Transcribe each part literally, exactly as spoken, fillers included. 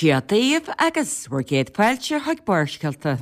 Dia daoibh agus bhur gcéad fáilte chuig Barrscéalta.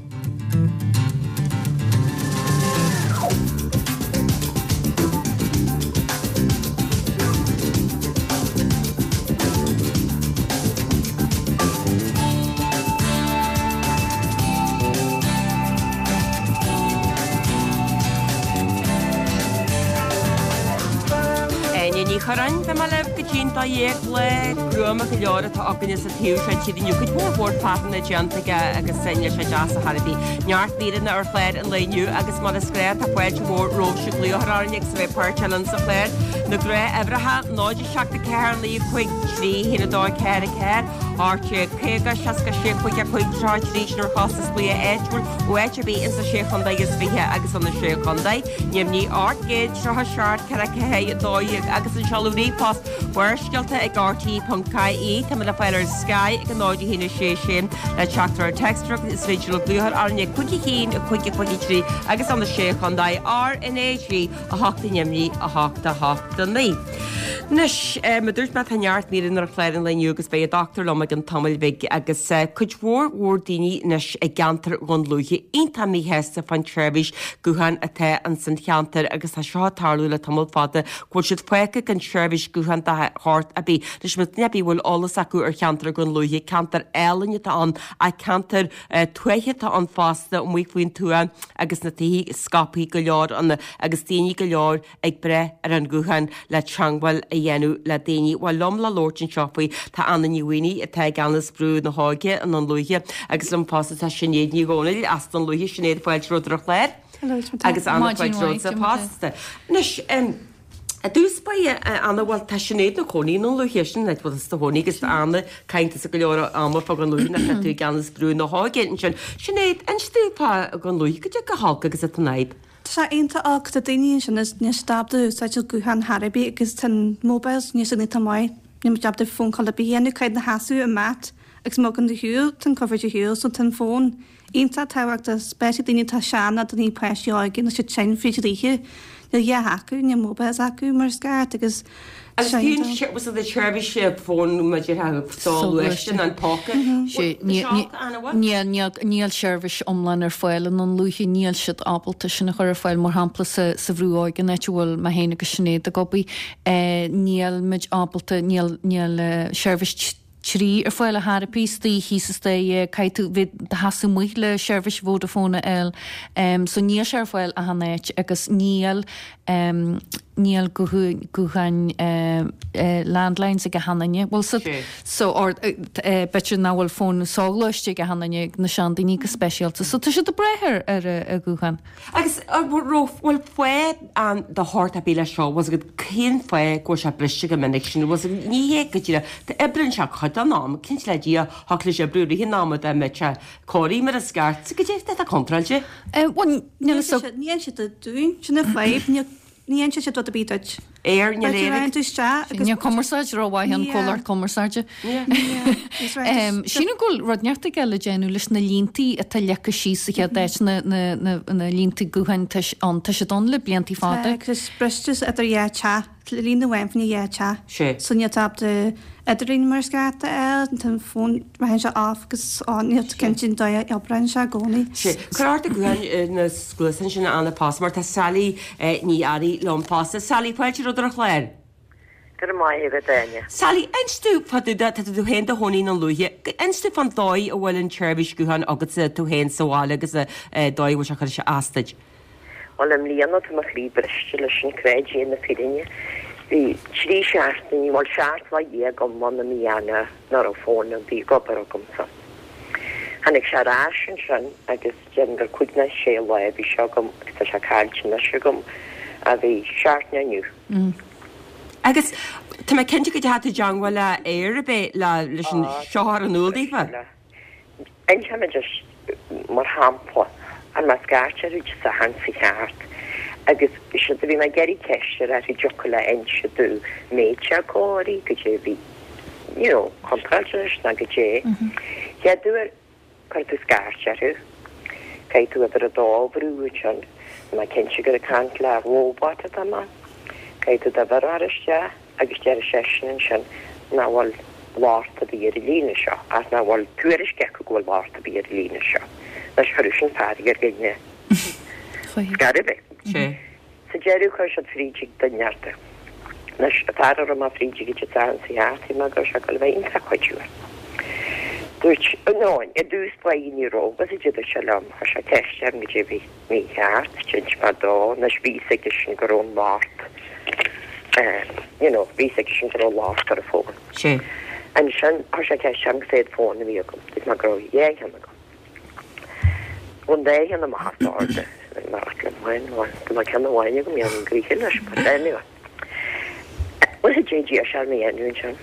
Áine Ní Churráin, Beidh mé libh go dtí'n dó dhéag lá gruama go leor atá againne sa taobh seo tíre inniu. Cuid mhór mhór fearthainne déanta aige agus níl sé deas ar chor ar bith. Neart míreanna ar chlár an lae inniu agus mar is gnáth tá fáilte mhór romhaibhse glaoch a chur orainn agus a bheith páirteach linn sa chlár. Na gnáthuimhreacha, náid a seacht a ceathair naoi cúig trí haon a dó ceathair a ceathair, ocht déag caoga seasca sé cúig a cúig tríocha a trí sin ar chostas glaoch áitiúil ó áit ar bith insa sé chontae is fiche agus sna sé chontae. Neamhní ocht gcéad tríocha seacht ceithre ceathair a dó dhéag agus an seoladh ríomhphost Barrscéalta ag R T ponc I E. Tá muid le fáil ar Sky ag a náid a haon a sé sé le teachtaireacht téacs is féidir libh glaoch orainn ag cúig a haon a cúig a cúig a trí agus sna sé chontae R N A G a hocht i Neamhní a hocht a hocht a naoi. Anois, mar a dúirt mé tá neart míreanna ar chlár an lae inniu agus beidh an dochtúir liom i gcionn tamaill bhig agus cuid mhór mhór daoine anois i gceantar Dhún Lúiche iontach míshásta fán tseirbhís gutháin atá ins an cheantar agus tá seo ag tarlú le tamall fada go bhfuil siad fágtha gan seirbhís gutháin de shórt ar bith. Anois más duine ar bith a bhfuil eolas acu ar cheantar Dhún Lúiche, ceantar álainn atá ann ach ceantar tuaithe atá ann fosta amuigh faoin tuath agus na tithe scaipthe go leor ann agus daoine go leor ag brath ar an ghuthán le teangmháil a dhéanamh le daoine. Bhuel liom le labhairt anseo faoi tá Anna Ní Mhaonaigh atá i gceannas Brú na hÓige i nDún Lúiche agus liom fosta tá Sinéad Ní Dhomhnaill as Dún Lúiche, Sinéad fáilte romhat ar an chlár. Agus Anna fáilte romhatsa fosta. Anois i dtús báire Anna bhuel tá Sinéad ina cónaí i nDún Lúiche sin an áit bhfuil tusa i do chónaí agus tá Anna caint go leor ama fá Dhún Lúiche nach tá tú i gceannas Brú na hÓige ansin. Sinéad, inis dúinn fá Dhún Lúiche, goidé chomh holc agus atá an fhadhb. Tá sé iontach olc, tá daoine ansin is níl siad ábalta úsáid an guthán chor ar bith agus tá an mobiles níl siad iontach maith, níl muid ábalta phone call ar bith a dhéanamh, caithfidh na sheasamh i mat agus má thagann do shiúl, tá an coverage ar shiúl so tá an fón iontach tábhachtach, especially daoine atá sean nó daoine páistí óga níl siad tinn fríd an oíche, níl a dhath acu, níl mobiles acu mar is ceart agus Agus cén was it seirbhís fóin maidir le soghluaiste an póca? Níl níl seirbhís iomlán ar fáil i nDún Lúiche, níl siad ábalta sin a chur ar fáil mar shampla sa sa Bhrú Óige an áit a bhfuil mé féin agus Sinéad ag obair. Níl muid ábalta níl níl seirbhís trí ar fáil ar chor ar bith istoíche thíos istoíche caithfidh tú bheith do sheasamh amuigh le seirbhís Vodafone a fháil. So níl sé ar fáil achan áit agus níl níl gutháin landlines ag achan duine. Bhuel so so or b'fhéidir nach bhfuil fón soghluaiste ag achan duine na seandaoine go speisialta. So tá siad ag brath ar ar a ghuthán. Agus bhfuil fáth ann de shórt ar bith leis seo, bhfuil agat cén fáth go bhfuil sé briste go minic sin, bhfuil agat ní hé go díreach, tá oibríonn sé cuid den am, cinnte le Dia, thiocfadh leis oibriú i rith an ama dá mbeadh sé cóirithe mar is ceart, so goidé atá contráilte. Bhuel níl a fhios. Ní dhéanann siad dúinn, sin an fadhb, ní Ní dhéanann siad rud ar bith duit. Air, níl air ag. Níl cumarsáid rómhaith an comhlacht cumarsáide. Sílim go bhfuil rud inteacht aige le déanamh leis na líntaí atá leagtha síos sa chéad áit, na na líntaí gutháin ann, tá siad ann le bliantaí fada. Tá, agus briste idir dhá teach. Líne amháin faoina dhá teach. So níl tú ábalta idirlíon mar is ceart a fháil, tá an fón, ritheann sé off agus on, níl tú cinnte an dóigh a oibreann sé i gcónaí. Sé. Cuir ort do ghuthán na gcluasáin sin Anna fosta mar tá Sally Ní Fhearraigh liom fosta. Sally, fáilte romhat ar an chlár. Go raibh maith agat, Áine. Sally, inis domh fá dtaobh de, tá tú féin i do chónaí i nDún Lúiche, inis domh fán dóigh a bhfuil an tseirbhís gutháin agatsa tú féin sa bhaile agus an dóigh a bhfuil sé ag cur isteach as duit. Bhuel, i mbliana tá mo chroí briste leis an creid é na fírinne. Bhí trí seachtainí, bhuel seacht lá dhéag iomlán i mí Eanáir nach raibh fón ar bith ag obair agamsa. Tháinig sé ar ais ansin agus déarfainn gur cúig nó sé lá a bhí sé agam agus tá sé caillte anois agam a bhí seachtain inniu. Agus tá mé cinnte go dteachaigh tú i dteangmháil le Eir ab é le leis an seo a chur in iúl daofa? Inseoidh mé duit mar shampla, fuair mé scairt orthu Dé Sathairn sa cheart agus siad a bhí mé ag iarraidh ceist a chur orthu an dtiocfadh leo inse domh an mbeadh sé cóirithe, goidé a bhí you know contráilte leis ná goidé. Chéad uair cuir tú scairt orthu, caithfidh tú uimhir a dó a bhrú ansin, tá mé cinnte gur ag caint le robot atá mé, caithfidh tú d'uimhir a chur isteach agus deir seisean ansin nach bhfuil locht ar bith ar an líne seo ach nach bhfuil tuairisc acu go bhfuil locht ar bith ar an líne seo. Anois chuir sin fearg ar dhaoine. Scor ar bith. Sa deireadh chuir siad fríd ag duine ort. Anois an fear a raibh mé fríd ag an tsean sa cheart bhí mé go raibh sé ag dul a bheith iontach cuidiúil. Dúirt, no, i dtús báire ní raibh, agus a dúirt sé liom, chuir sé ceist orm goidé a bhí mícheart, d'inis mé dó, anois bhí fhios aigesean go raibh an locht, you know, bhí fhios aigesean go raibh locht ar an bhfón. Sé. Ansin chuir sé ceist orm cá mhéad fón a bhí agam, dúirt mé go raibh dhá cheann agam. Bhain dhá cheann amach as ord, mar liom féin, bhuel, dá mbeadh ceann amháin agam, dhéanfainn gaoithe leis, but anyway. Bhuel, a dé d'iarr sé orm a dhéanamh ansin,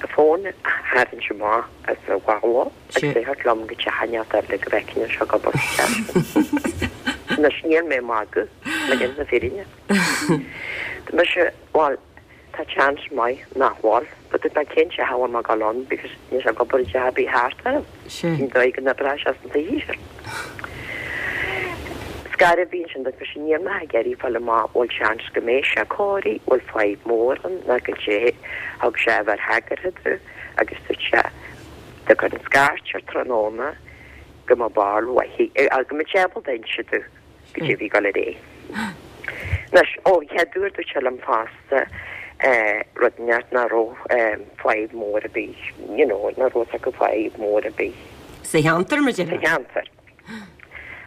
a fón a tharraingt amach as a mhála agus é a thabhairt liom go teach inteacht eile go bhfeicfinn an seo ag obair sa teach sin. Anois, níl mé ag magadh, le déanamh na fírinne. Tá mise, bhuel, tá seans maith nach bhfuil, but tá mé cén teach a bhfuil mé ag dul ann because níl sé ag obair i dteach ar bith thart orm. Cén dóigh go n-oibreoidh sé san tsaoithe sin? Scor ar bith ansin, dúirt mise, níl mé ag iarraidh fáil amach bhfuil seans go mbeidh sé cóirithe, bhfuil fadhb mhór ann ná goidé. Thug sé uimhir thagartha domh agus dúirt sé dá gcuirfinn scairt air tráthnóna go mbeadh barúil mhaith go mbeadh sé ábalta inse domh goidé a bhí ag dul ar aghaidh. Anois, ó, chéad uair dúirt sé liom fosta rud inteacht nach raibh fadhb mhór ar bith, you know, nach raibh fhios acu fadhb mhór ar bith. Sa cheantar, mar a déarfá? Sa cheantar.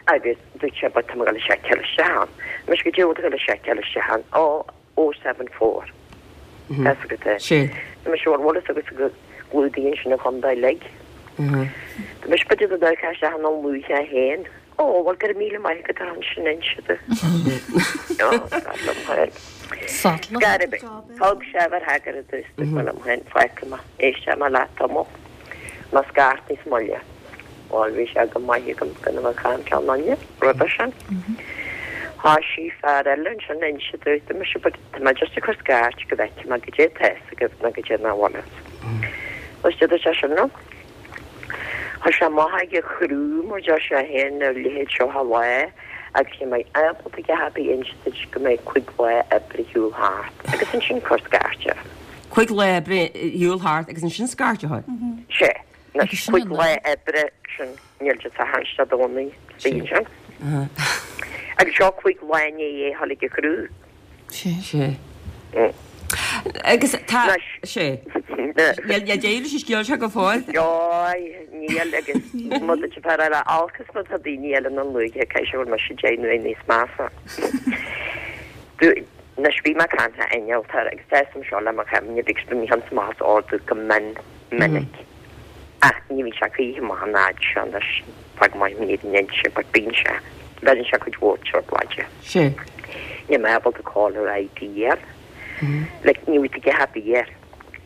Agus dúirt sé, but tá mé ag dul a seiceáil isteach ann. Mise, goidé a bhfuil tú ag dul a seiceáil isteach ann? Ó, oh seven four. Tá fhios agat é. Sé. Tá mise, bhuel, bhfuil fhios agat go gclúdaíonn sin an chontae uilig. Tá mise, b'fhéidir go dtabharfá isteach i nDún Lúiche é féin. Ó, bhuel, go raibh míle maith agat ar sin inse domh. Ó, dar liom féin. Sadla. Scor ar bith. Thug sé uimhir thagartha domh is dúirt mé liom féin, fágfaidh mé, éistfidh mé leat tamall. Má scairt níos moille. Bhuel, bhí sé go maith agam gan a bheith ag caint le aon duine roimhe sin. Thoisigh fear eile ansin ag inse domh, tá mise, but tá mé just ag cur scairt go bhfeicfidh mé goidé atá fhios agaibh nó goidé nach bhfuil fhios. Agus dúirt sé sin liom. Tá sé amach ag a chriú mar deir sé féin a leithéid seo a lá agus ní mbeidh ábalta a dhath ar bith inse duit go mbeidh cúig lá oibre ar shiúl thart agus ansin cuir scairt air. Cúig lá oibre ar shiúl thart agus ansin scairt a chur? Sea. Anois cúig lá oibre sin níl de Satharn Dé Domhnaigh istigh ansin. Agus seo cúig lá i ndiaidh é a dhul ag a chriú. Sea. Sea. Agus tá sé. Níl deireadh leis an scéal seo go fóill. Oi, níl agus má tá fear eile olc is má tá daoine eile i nDún Lúiche caithfidh sé go bhfuil mise deich n-uair níos measa. Anois bhí mé ag caint le innealtóir agus tá fhios agam seo le mo chuimhne because bhí mé ann amach is ordú go mion minic ach ní bhíonn sé choíche amach an fhad seo anois tá go maith mé ar an inse but bíonn sé bheireann sé cuid mhór trioblóide. Sé. Níl mé ábalta caller ID a fháil. Like, ní bhfuil tú ag happy air.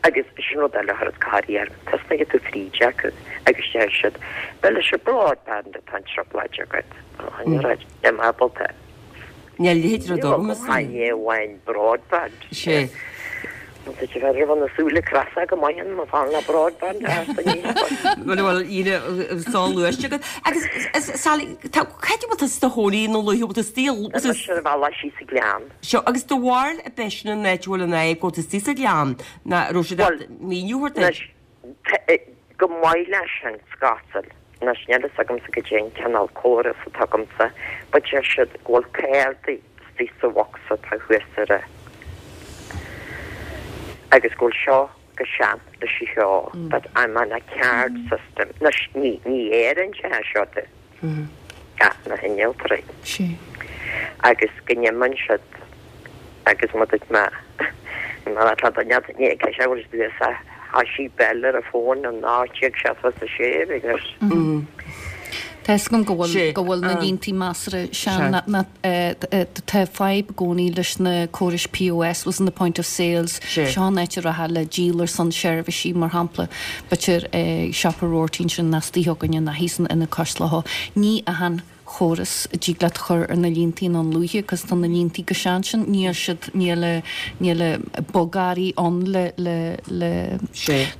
Agus sin rud eile a chuir corraí orm. Tosnaigh tú fríd acu agus deir siad, Bhuel, is ar broadband atá an trioblóid agat. Ó, ní raibh mé ábalta. Níl a leithéid de rud agam, is Níl amháin broadband. Sé. Tá sé bheith roimh na súile creasa go maith an fan le broadband a Bhuel bhuel íre soghluaiste agat. Agus Sally, tá cá háit a bhfuil tú i do chónaí i nDún Lúiche, bhfuil tú istigh Tá mise ar an bhealach síos sa Ghleann. Seo, agus do bharúil ab é sin an áit a bhfuil an fhadhb, go bhfuil tú istigh sa Ghleann, ná raibh siad Bhuel, míniú a thabhairt duit? Anois, go maith leis sin, scátal. Anois, níl fhios agamsa goidé an cineál córas atá agamsa, but deir siad go bhfuil cárdaí istigh sa bhocsa atá thuas ar a agus go bhfuil seo go sean leis an cheo but I'm on a card system. Anois, ní ní Éirinn sé seo de ach na hinnealtóirí. Sea. Agus go n-imíonn siad agus má dúirt mé mar atá do nead ní ag sé bhfuil siad a thoisigh Bell ar a fón in ocht déag seachtó a sé agus Tá fhios agam go bhfuil Sé. go bhfuil na línte measartha sean na na tá fadhb i gcónaí leis na córais POS was in the point of sales Sé. seo an áit a rachfá le díol ar son seirbhísí mar shampla b'fhéidir siopa Roarty sin istigh againne ná thíos in ina cois leo ní achan chóras a dtig leat a chur ar na líontaí i nDún Lúiche cos tá na líontaí chomh sean sin, níl siad, níl níl bogearraí ann le le le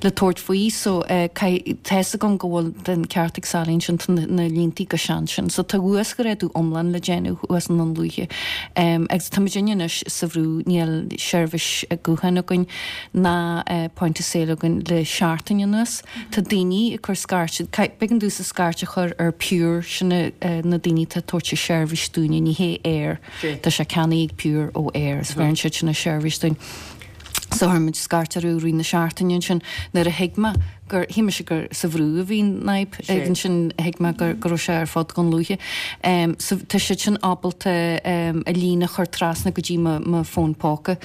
le tabhairt faoi so caithfidh, tá fhios agam go bhfuil an ceart ag Sally ansin, tá na líontaí chomh sean sin so tá uasghrádú iomlán le déanamh thuas i nDún Lúiche agus tá muid anois sa bhrú, níl seirbhís gutháin againn ná point of sale againn le seachtain anuas. Tá daoine ag cur scairt, b'éigean domhsa scairt a chur ar Pure, sin na daoine atá ag tabhairt an seirbhís dúinne, ní hé Eir, tá sé ceannaithe ag Pure ó Eir, is bheireann siad sin an seirbhís dúinn. So chuir muid scairt orthu i rith na seachtaine ansin nuair a thuig mé gur, shíl mise gur sa Bhrú a bhí an fhadhb, ag ansin thuig mé gur go raibh sé ar fud Dhún Lúiche. So tá siad sin ábalta an líne a chur trasna go dtí mo mo fón póca.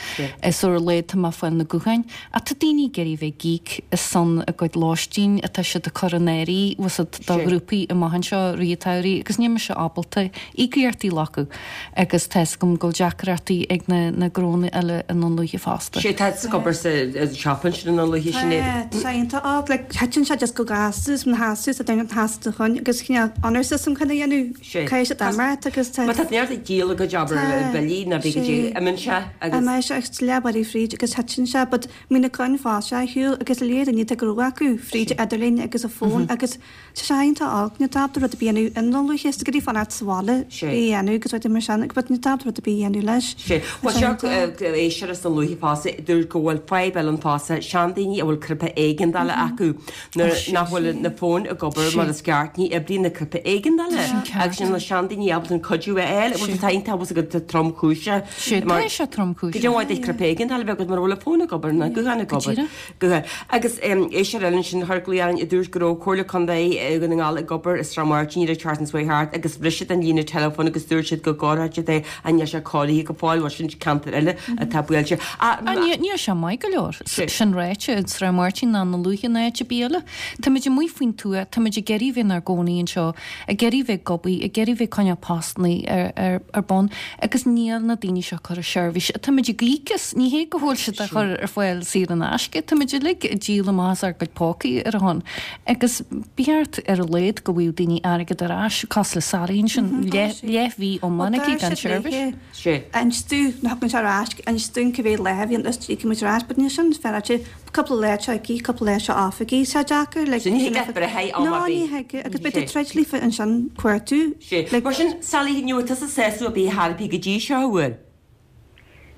So ar a laghad tá mé ag fáil na gutháin. Ach tá daoine ag iarraidh bheith ag íoc ar son a gcuid lóistín atá siad ag cur in áirithe bhfuil fhios agat do ghrúpaí amach anseo i rith an tsamhraidh agus níl mise ábalta íocaíochtaí a ghlacadh agus tá fhios agam go bhfuil deacrachtaí ag na na gnónna eile i nDún Lúiche fosta. Sé tá ag obair sa siopa ansin i nDún Lúiche Sinéad. Tá, tá iontach ach like thiteann sé just go gasta is na hasta is a déanann hasta chun agus cineál honor system chun a dhéanamh caithfidh siad imeacht agus tá Má tá neart ag díol a gcuid obair Tá, billí ná bí go dtí sé. imíonn sé agus. Imíonn sé agus leath fríd agus thiteann sé but mbíonn na coin fáilte ar shiúl agus léir daoine tá gnó acu fríd idirlíon agus a fón agus tá sé iontach olc níl tú ábalta rud ar bith a dhéanamh i nDún Lúiche is go dtí fanacht sa bhaile Sé. é a dhéanamh agus rudaí mar sin agus but níl tú ábalta rud ar bith a dhéanamh leis. Sé. Tá Bhuel sé seo iontach. éisteoir as Dún Lúiche fosta dúirt go bhfuil fadhb eile ann fosta, seandaoine a bhfuil cnaipe éigeandála acu nuair Ó sé nach bhfuil na fóin ag obair mar Sé. is ceart ní oibríonn na cnaipe éigeandála Sin agus ceart. sin na seandaoine ábalta an cuidiú a fháil. Bhuel Sé. tá iontach bhfuil agat tromchúiseach Sé mar tá sé tromchúiseach. Go deo duit cnaipe éigeandála a bheith agat mura bhfuil an fón ag obair ná guthán ag Go obair. díreach. Guthán. Agus éisteoir eile ansin chuir glaoch orainn a dúirt go raibh Comhairle Contae Dhún na nGall ag obair i Srath Máirtín ar Charlton's Way thart agus bhris siad an líne teileafóin agus dúirt siad go gcóireodh siad é ach níl sé cóirithe go fóill bhuel sin ceantar eile atá buailte. Ah, ní níl sé maith go leor. Sé. Sin ráite i Srath Máirtín ná Dún Lúiche ná áit ar bith eile. Táimid amuigh faoin tuath, táimid ag iarraidh bheith inár gcónaí anseo, ag iarraidh bheith ag obair, ag iarraidh bheith ag coinneáil postanna ar, ar, ar bun, agus níl na daoine seo ag cur an seirbhís. Táimid ag íoc as, ní hé go bhfuil siad á chur ar fáil saor in aisce, táimid uilig ag díol amach as ár gcuid pócaí ar a shon. Agus ba cheart ar a laghad go bhfaigheadh daoine airgead ar ais, cosúil le Sally ansin, leath, leathmhí iomlán aici gan seirbhís. Sé. Inis dúinn, ná thugann sé ar ais, inis dúinn cibé lá a bhíonn is íocfaidh muid ar ais, but níl sin féaráilte, cúpla lá seo aici, cúpla lá seo off aici, sé deacair, like, So ní thig leat breith am No, ar ní bith. thig, agus beidh Sé. tú troid líofa ansin cuartú, Sé. like, Mar sin, Sally, ní bhfuil tusa sásamh ar bith thar ar bith go dtí seo, an bhfuil?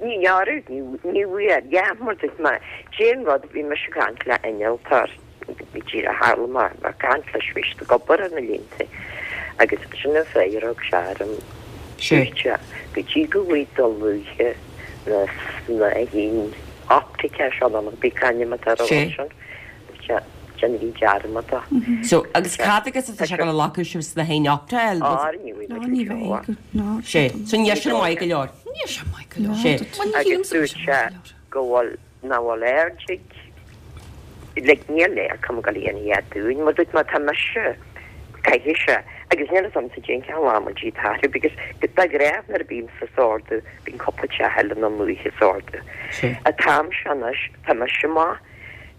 Ní dhearadh, ní ní bhfuair, yeah, mar dúirt mé, cén rud, bhí mise ag caint le innealtóir, bhí díreach tharla mé ag caint leis, bhí siad ag obair ar na línte, agus sin an freagra a thug sé orm, Sé. dúirt sé, go dtí go bhfaighidh Dún Lúiche na snáithín optaice seo nó bí c'ainm atá ar Sé. sin, dúirt sé, déanaigí dearmad de. So, agus cad agus atá sé gonna lacú sibh snáithín optaice? Á, ní bhfuil no, muid ní go bheidh, seo. no. Sé. So níl sin maith go leor. Níl sé maith go leor. Sé. Bhuel, ní Agus shílimse go dúirt bhfuil sé sé maith go leor. go bhfuil nach bhfuil aird ag like níl léir cum go líon iad dúinn, mar dúirt má tá mise caithfidh sé agus níl a fhios a'msa cén ceann lá muid iad athrú because de ghnáth nuair a bím sa sordú bíonn cúpla teach eile na Lúiche sordú. Sé. An t-am seo anois tá mise maith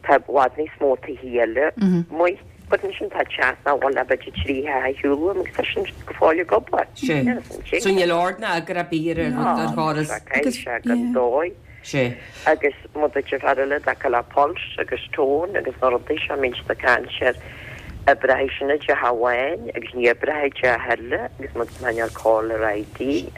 tá i bhfad níos mó tithe eile amuigh but ansin tá teach nach bhfuil le b'fhéidir trí theach ar shiúl uaim agus tá sin go fóill ag obair. Sé. Níl a fhios a'm So níl ord ná eagar ar bith ar ar ar chóras. Caithfidh sé gan dóigh. Sé. agus mu a fear eile da le Pulse agus Tone agus na rudaí seo mín na caint a breith sinna de Hawaii agus ní breith de heile agus mu man caller ID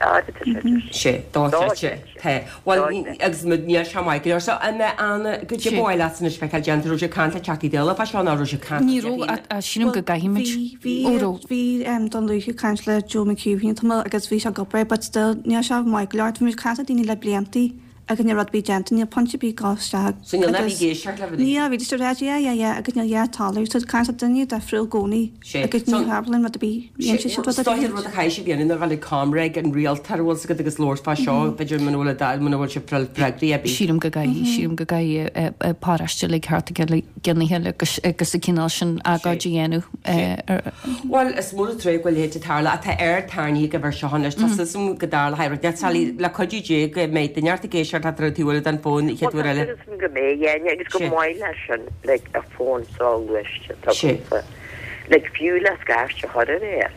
Sé, dá sé. Tá. Well agus mu níl sé maith go leor. So an an go Sé. dtí leat san feiceáil déanta raibh sé caint le Teachtaí Dála fá seo ná raibh sé caint Ní raibh, a sílim go gcaithfimid. Bhí bhí Ó, raibh. bhí um, Dún Lúiche caint le Joe McHugh bhí tamall agus bhí sé ag obair, but still níl sé maith go leor. Bhí muid caint le daoine le bliantaí agus níl rud ar bith déanta, níl pointe ar bith gá isteach. So níl agus- bhí géisteacht le Ní bhí sé rá yeah yeah yeah agus níl yeah talamh so caint le duine difriúil i gcónaí Sé. agus So- ní tharlaíonn rud ar bith dhéan sé siad rud ar Stoir bith. rud a chaith sé bhéanna bheil comreg an rialtar bhfuil agat agus labhairt fá seo b'fhéidir muna bhfuil a muna bhfuil sé freagraí ar bith. Sílim go gcaithfidh, sílim go gcaithfidh paráiste le ceart le gnaithe agus agus a cineál sin agóid a dhéanamh. eh, ar- Well is mór tré go léite tarla atá ar tairní go bhar seo leis tá go darla hair le cuidiú dé go méid den neart géisear tá túhfuil an fón chéad uair eile. go mé dhéine agus go Sé. maith leis sin like a fón soghluaiste Sé. like fiú le scairt a chur air.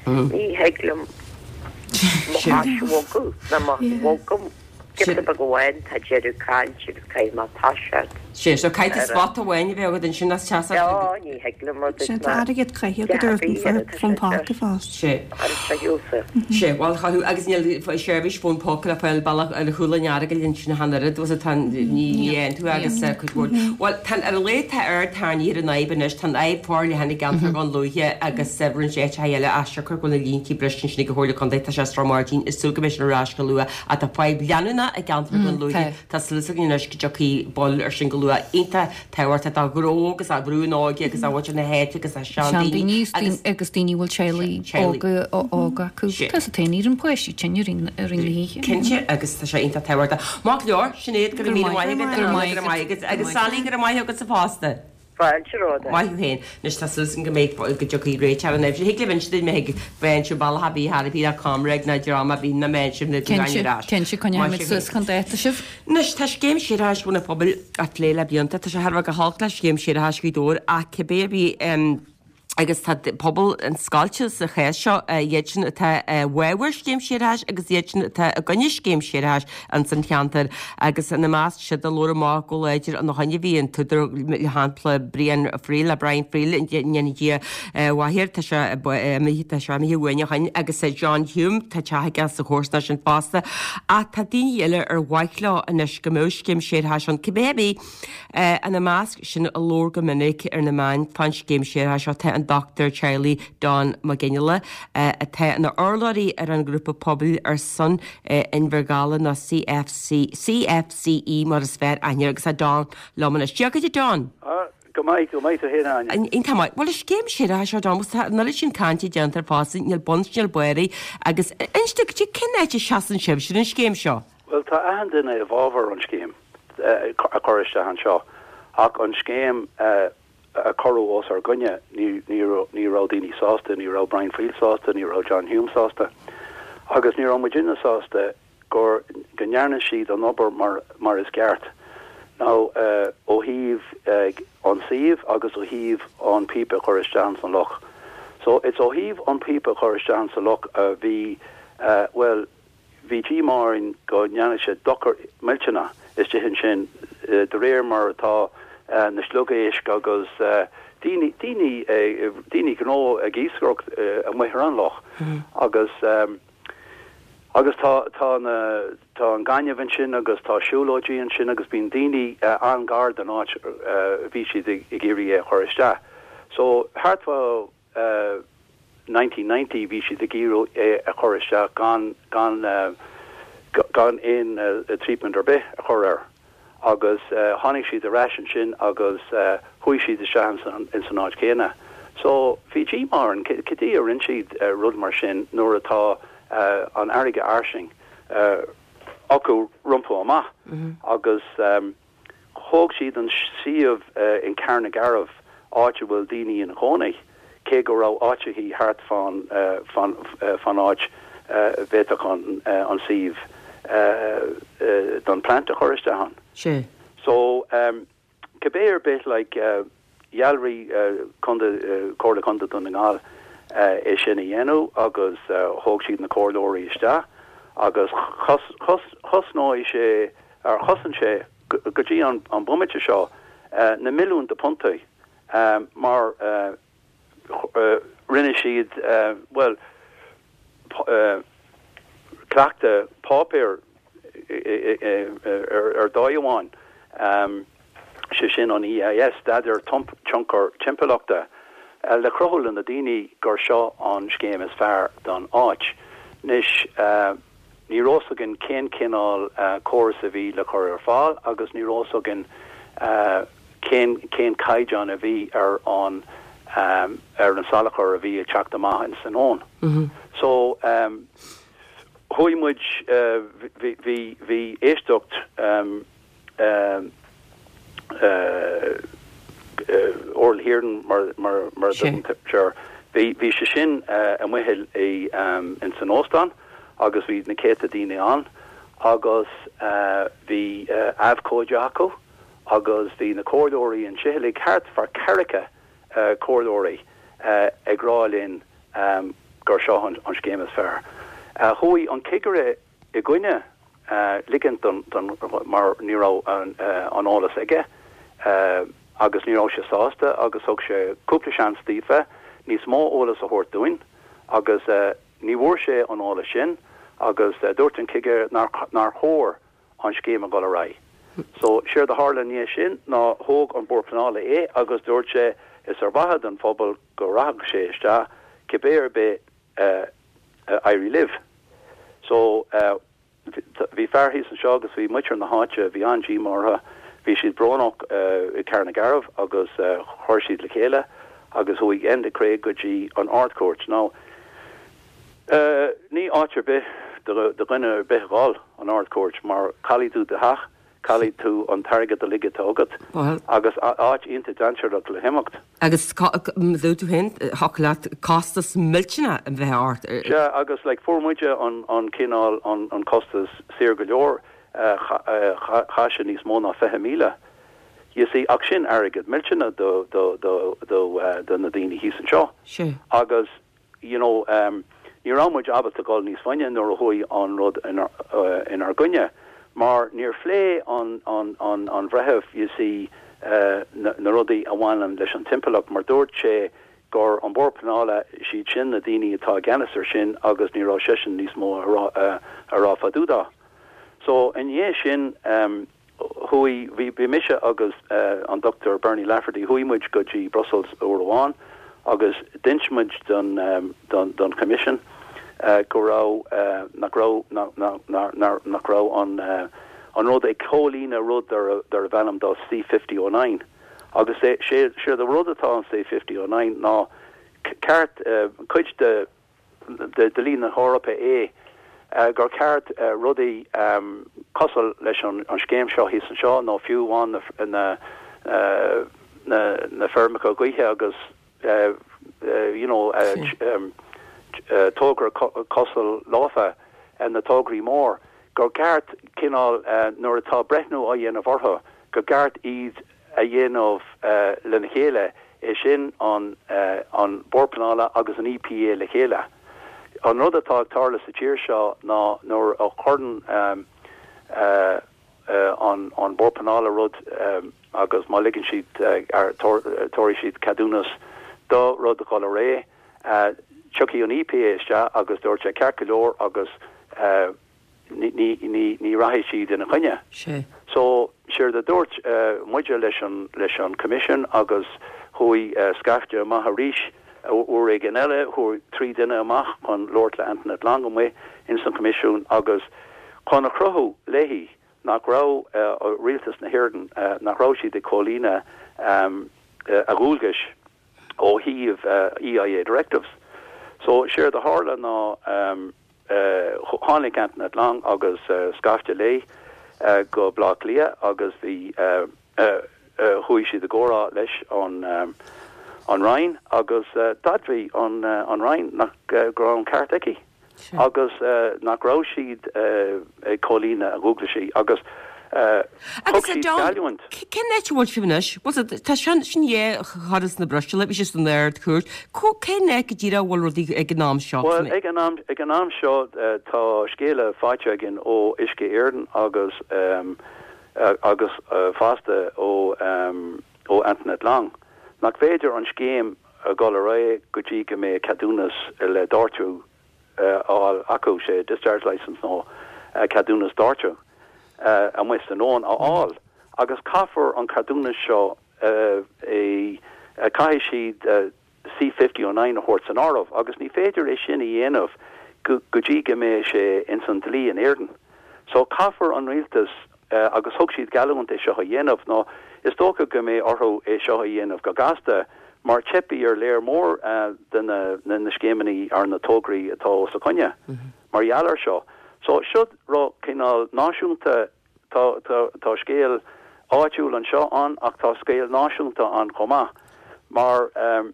Ní thig liom mo chois a bhogadh ná má bhogaim giota beag amháin tá deireadh caillte agus caithfidh mé toiseacht. Sé, so caithfidh tú spot amháin a bheith agat ansin as teas Á, ní thig liom mar Sin tá airgead caite agat ar an fón póca fosta. Sé. Sé, bhuel chaithfeadh, agus níl seirbhís fón póca le fáil bealach ar chúl an Earagail ansin ach an oiread, bhfuil tá ní ní dhéanann tú agus cuid mhór. Bhuel, tá ar a laghad tá aird tarraingthe ar an fhadhb anois, tá an fhadhb forleathan i gceantar Dhún Lúiche agus roinnt áiteacha eile as siocair go bhfuil na líntí briste ansin ag an Chomhairle Contae, tá sé i Srath Máirtín, is súil go mbeidh sin ar ais go luath ach tá fadhb leanúnach i gceantar Dhún Lúiche, tá súil againn anois go dtiocfaidh bail ar sin go luath. Iontach tábhachtach do ghnó agus do bhrú na hóige agus do mhuintir na háite agus do seandaoine agus agus daoine a bhfuil teaghlaigh óga óga acu. Tá sa taon ar an páistí tinn ar an na hoíche. Cinnte agus tá sé iontach tábhachtach. Maith go leor, Sinéad, go raibh míle maith agat, go raibh maith agat agus Sally, go raibh maith agatsa fosta. Fáilte romhat. Maith thú féin. Anois tá súil agam go mbeidh, go dtiocfaidh réiteach ar an fhadhb sin. Thig libh inse duit má thig bheinn sibh bealach ar bith thar a bith le ComReg ná dream ar bith ná mbeinn sibh na Cinnte, ar ais. Cinnte, coinneoidh muid suas chun dáta sibh. Anois tá scéim séarachais Bhun an Phobail á plé le blianta. Tá sé thar a bheith go holc le scéim séarachais Ghaoth Dobhair ach cibé ar bith, Agus tá pobal an-scoilte sa chás seo, iad sin atá i bhfabhar scéim séarachais agus iad sin atá i gcoinne scéim séarachais ins an cheantar. Agus ina measc siúd a labhair amach go láidir ina choinne bhí an t-údar le shampla Brian Friel, Brian Friel, go ndéana Dia a mhaith air, tá sé imithe, tá sé imithe uainn ó shin, agus John Hume, tá teach aige sa chomharsanacht sin fosta. Ach tá daoine eile ar mhaith leo anois go mbeadh scéim séarachais ann, cibé ar bith. Ina measc sin a labhair go minic ar na meáin fán scéim séarachais seo tá an dochtúir teaghlaigh Don Mac Fhionnghaile, atá ina urlabhraí ar an ghrúpa pobail ar son Inbhear Dála nó CFC, CFCE mar is fearr aithne air agus tá Don liom anois. Dia dhuit a Don! Go maith, go maith tú féin a Áine. Iontach maith. Bhuel an scéim séarachais seo Don, tá an oiread sin cainte déanta air fosta, níl bun 's níl barr air agus inis dom cad é cén áit a seasann sibhse ar an scéim seo? Bhuel tá achan duine i bhfabhar an scéim. a chur isteach anseo ach an scéim a cuireadh os ár gcoinne, ní raibh daoine sásta, ní raibh Brian Friel sásta, ní raibh John Hume sásta agus ní raibh muidinne sásta gur go ndearna siad an obair mar mar is ceart nó ó thaobh an suíomh agus ó thaobh an píopa a chur isteach ins an loch. So it's ó thaobh an píopa a chur isteach ins an loch a bhí, bhuel, Bhí díomá orainn go ndearna sé dochar millteanach istigh ansin de réir mar atá na sliogéisc agus daoine, daoine, daoine gnó ag iascaireacht amuigh ar an loch agus, agus tá, tá na, tá an gaineamh ansin agus tá siúlóidí ansin agus bíonn daoine an-ghar don áit a bhí siad ag iarraidh é a chur isteach. So thart fá nineteen ninety bhí siad ag iarraidh é a chur isteach gan gan gan aon treatment ar bith a chur air agus tháinig siad ar ais ansin agus chuaigh siad isteach ins an áit chéanna. So bhí díomá orainn cad é a rinne siad rud mar sin nuair atá an fharraige fhairsing acu rompu amach agus Thóg siad an suíomh in Carn na gCearrbh, áit a bhfuil daoine ina gcónaí, cé go raibh áiteachaí thart fán fán áit a bhféadfadh an suíomh don plant a chur isteach ann. Sea. So, cibé ar bith, like, Dhealraigh Contae, Comhairle Contae Dhún na nGall é sin a dhéanamh agus thóg siad na comhairleoirí isteach agus chosnóidh sé, ar chosain sé go dtí an bomaite seo na milliúin de puntaí mar rinne siad, bhuel, cleachtadh páipéir ar dóigh amháin, sé sin an EIS, Staidéar Tionchar Timpeallachta, le cruthú le na daoine gur seo an scéim is fearr don áit. Anois, ní raibh fhios againn cén cineál córas a bhí le cur ar fáil agus ní raibh fhios againn cén cén caighdeán a bhí ar an ar an salachar a bhí ag teacht amach ins an abhainn. So, chuaigh muid, bhí bhí bhí éisteacht Oral hearing mar mar mar a dtugann bhí bhí sé sin amuigh i ins an óstán agus bhí na céadta daoine ann agus bhí abhcóide acu agus bhí na comhairleoirí ansin uilig thart fá ceathracha comhairleoirí ag rá linn gur seo an, an scéim is fearr. Chuaigh an cigire i gcoinne ligint don, don, mar ní raibh an, an eolas aige agus ní raibh sé sásta agus thug sé cúpla seans daofa níos mó eolas a thabhairt dúinn agus ní bhfuair sé an eolas sin agus dúirt an cigire nár, nár chóir an scéim a dhul ar aghaidh. So séard a tharla inniu sin ná thóg an Bord Pleanála é agus dúirt sé is ar mhaithe don phobal go rachadh sé isteach cibé ar bith uh, uh, éirí libh. So uh, bhí fear thíos anseo agus bhí muintir na háite bhí an-díomá orthu, bhí siad brónach uh, i Carn na Garbh agus uh, chuir siad le chéile agus chuaigh Enda Creagh go dtí an Ard-Chúirt. Now, uh, ní áit ar bith do dhuine ar bith dhul an Ard-Chúirt mar caillfidh tú do theach, caillfidh tú an t-airgead uilig atá agat agus áit iontach dainséarach le himeacht. Agus dúirt tú féin thiocfadh leat costas millteanach a bheith ort. Sea agus like, fuair muide an, an cineál an, an costas saor go leor chaith sé níos mó ná fiche míle. You see, ach sin airgead millteanach do, do, do, do, uh, do na daoine thíos anseo. Agus you know, um, ní raibh muid ábalta dul níos faide nuair a chuaigh an rud inár, uh, inár gcoinne. Mar níor phléigh an, an, an, an bhreitheamh you see, uh, na, na rudaí a bhaineann leis an timpeallacht mar dúirt sé gur an Bord Pleanála siad sin na daoine atá i gceannas ar sin agus ní raibh seisean níos mó a rá, uh, a rá fá dtaobh de. So in dhiaidh sin um, chuaigh bhí bhí mise agus uh, an Dr Bernie Lafferty chuaigh muid go dtí Brussels uair amháin agus d'inis muid don, um, don, don Commission uh, go raibh uh, nach raibh nach raibh an uh, an rud ag comhlíonadh rud darb ainm dó C fifty oh nine. Agus sé sé de rud atá an C fifty oh nine ná ceart uh, cuid de de dlí na hEorpa é uh, gur ceart uh, rudaí um, cosúil leis an, an scéim seo thíos anseo nó fiú amháin na, na, uh, na, na feirmeacha gaoithe agus uh, uh, you know, uh, um, uh, togra cosúil leofa uh, na tograí mór gur ceart cineál uh, nuair atá breithniú á dhéanamh orthu gur ceart iad a dhéanamh uh, lena chéile é sin an, uh, an Bord Pleanála agus an EPA le chéile. An rud atá ag tarlú sa tír seo ná nuair a chuireann um, uh, uh, an, an Bord Pleanála rud um, agus má ligeann siad uh, tabharfaidh siad ceadúnas do rud a dhul ar aghaidh, uh, tiocfaidh an EPA isteach agus dúirt sé ceart go leor agus uh, ní, ní, ní, ní rachaidh siad ina choinne. So séard a dúirt uh, muide leis an, leis an Commission agus chuaigh uh, scaifte amach arís uair éigin eile chuaigh trí duine amach chun labhairt le Antoinette Long amuigh ins an Comisiún agus chun a chruthú léi nach raibh uh, rialtas na hÉireann uh, nach raibh siad ag comhlíonadh um, uh, a ndualgais ó thaobh uh, EIA directives. So séard a tharla ná um, uh, tháinig Antoinette Long agus uh, scaifte léi uh, go Baile Átha Cliath agus bhí uh, uh, uh, chuaigh siad i gcomhrá leis an um, an Roinn agus uh, d'admhaigh an, uh, an Roinn nach uh, go raibh an ceart aici. Agus uh, nach raibh siad uh, ag comhlíonadh a ndualgaisí agus uh, Agus John, cén áit a bhfuil sibh anois? Tá sin sin é charas na Bruiséile, bhí sé san Ard-Chúirt. Cén áit go díreach a bhfuil rudaí ag an am seo? Well, ag an am, ag an am seo uh, tá scéala faighte againn ó Uisce Éireann agus um, uh, agus uh, fosta ó um, ó Antoinette Long. Nach féidir an scéim a dhul ar aghaidh go dtí go mbeidh ceadúnas le doirteadh uh, á acu sé discharge license nó uh, ceadúnas doirteadh uh, amuigh san abhainn a fháil. Agus caithfear an ceadúnas seo uh, é uh, caithfidh siad uh, C fifty oh nine a thabhairt san áireamh, agus ní féidir é sin a dhéanamh go dtí go mbeidh sé ins an dlí in Éirinn. So caithfear an rialtas uh, agus thug siad geallúint é seo a dhéanamh nó is dócha go mbeidh orthu é seo a dhéanamh go gasta mar teipfidh ar léir mór uh, de na, na, na scéimeanna ar na tograí atá os a gcoinne mm -hmm. mar gheall air seo. So seo rud cineál náisiúnta tá, tá, tá scéal áitiúil anseo ann ach tá scéal náisiúnta ann chomh maith. Mar um,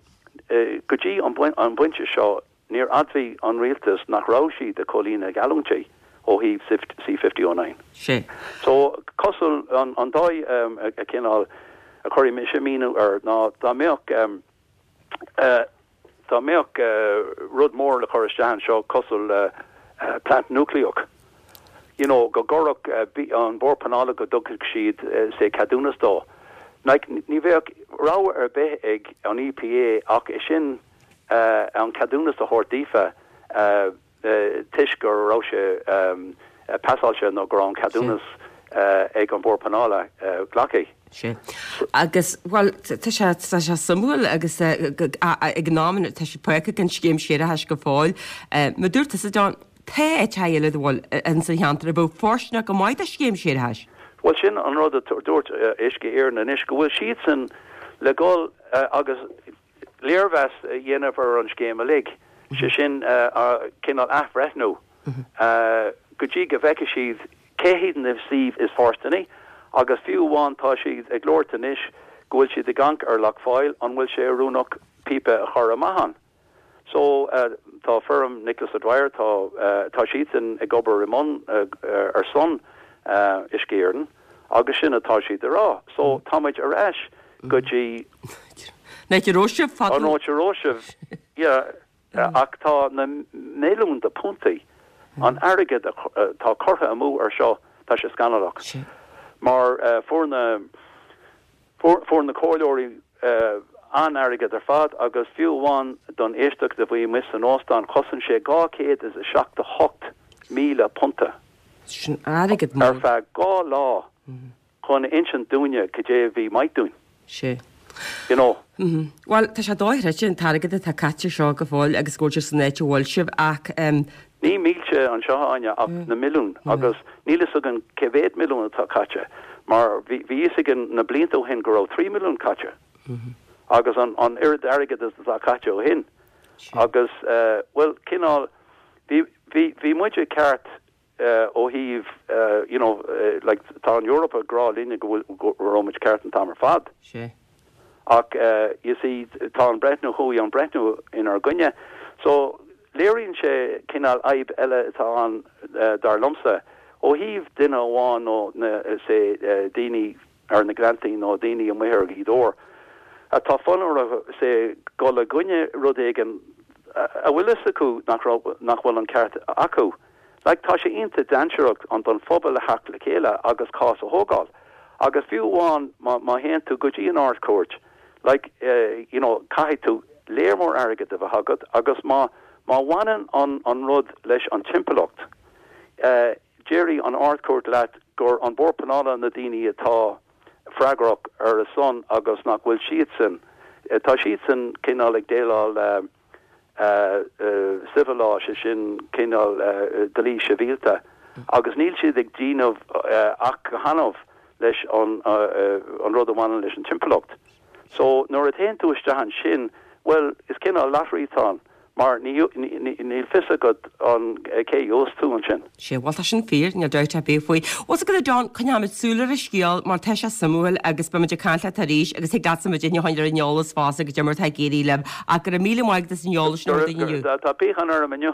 uh, go dtí an an bpointe seo níor admhaigh an rialtas nach raibh siad ag comhlíonadh geallúintí ó thaobh C fifty oh nine. Sé. So cosúil an, an dóigh um, a, a cineál a chuirfidh mise míniú air ná dá mbeadh um, uh, dá mbeadh rud mór le cur isteach anseo cosúil le plant núicléach, you know, go gcuirfeadh an Bord Pleanála go dtugfadh siad say ceadúnas dó. Like, ní bheadh rogha ar bith ag an EPA ach é sin an ceadúnas a thabhairt daofa toisc go raibh sé pasáilte nó go raibh an ceadúnas ag an Bord Pleanála glactha. Sea. Agus, bhuel, tá sé, tá sé suimiúil agus ag an am tá sé fágtha gan scéim séarachais go fóill. Mar dúirt tusa, Don, tá áiteacha eile bhuel in sa cheantar a bheadh fóirsteanach go maith do scéim séarachais. Bhuel, sin an rud a dúirt Uisce Éireann anois, go bhfuil siadsan le dhul agus léirmheas a dhéanamh ar an scéim uilig, sé sin cineál athbhreithniú go dtí go bhfeicfidh siad cé hiad na suímh is fóirsteanaí agus fiú amháin tá siad ag labhairt anois go bhfuil siad ag amharc ar Loch Foyle, an bhfuil sé oiriúnach píopa a chur amach ann. So tá feirm Nicholas O'Dwyer, tá tá siadsan ag obair i mbun ar son Uisce Éireann agus sin atá siad a rá. So táimid ar ais go dtí An áit a raibh sibh fadó. An áit a raibh sibh, yeah. Ach tá na milliúin de puntaí, an airgead atá curtha amú ar seo, tá sé scannalach. Mar fuair na fuair na comhairleoirí an-airgead ar fad agus fiú amháin don éisteacht a bhí amuigh san óstán chosain sé dhá chéad is a seachtó hocht míle punta. Sin airgead mór. Ar feadh dhá lá chun a insint dúinne cad é a bhí maith dúinn. Sea. You know. Bhuel, tá sé dochreidte an t-airgead atá caite seo go fóill agus go bhfuil sibh san áit a bhfuil sibh ach. Ní mílte anseo, Áine, ach na milliúin agus níl fhios againn cé mhéad milliún atá caite mar bhí fhios againn na blianta ó shin go raibh trí milliún caite agus an an oiread airgead is atá caite ó shin agus bhuel cineál bhí bhí bhí muide ceart ó thaobh you know like tá an Eoraip ag rá linne go bhfuil go raibh muid ceart an t-am ar fad. Sea. Ach you see tá an breithniú chuaigh an breithniú inár gcoinne. So léiríonn sé cineál fhadhb eile atá ann dar liomsa ó thaobh duine amháin nó na say daoine ar na Gleanntaí nó daoine amuigh ar Ghaoth Dobhair atá fonn orthu say dul i gcoinne rud éigin a bhfuil fhios acu nach raibh nach bhfuil an ceart acu. Like tá sé iontach dainséarach an don phobal a theacht le chéile agus cás a thógáil. Agus fiú amháin má má théann tú go dtí an Ard-Chúirt, like you know caithfidh tú léar mór airgead a bheith agat agus má má bhaineann an an rud leis an timpeallacht, eh déarfaidh an Ard-Chúirt leat gur an Bord Pleanála na daoine atá freagrach ar a son agus nach bhfuil siadsan, tá siadsan cineál ag déileáil le civil law, sé sin cineál dlí sibhialta, agus níl siad ag déanamh ach go hannamh leis an an rud a bhaineann leis an timpeallacht. So nuair a théann tú isteach ansin, bhuel, is cineál lottery atá ann. Mar níl fios agat an cé a gheobhas tú ansin. Sea, bhuel tá sin fíor, níl dabht ar bith faoi. Bhuel 's agat a Don, coinneoimid súil ar an scéal mar tá sé suimiúil agus beimid ag caint leat arís agus thig leatsa muid a choinneáil ar an eolas fosta goidé mar atá ag éirí libh ach go raibh míle maith agat as an eolas sin a thabhairt dúinn inniu. Tá piachán orm inniu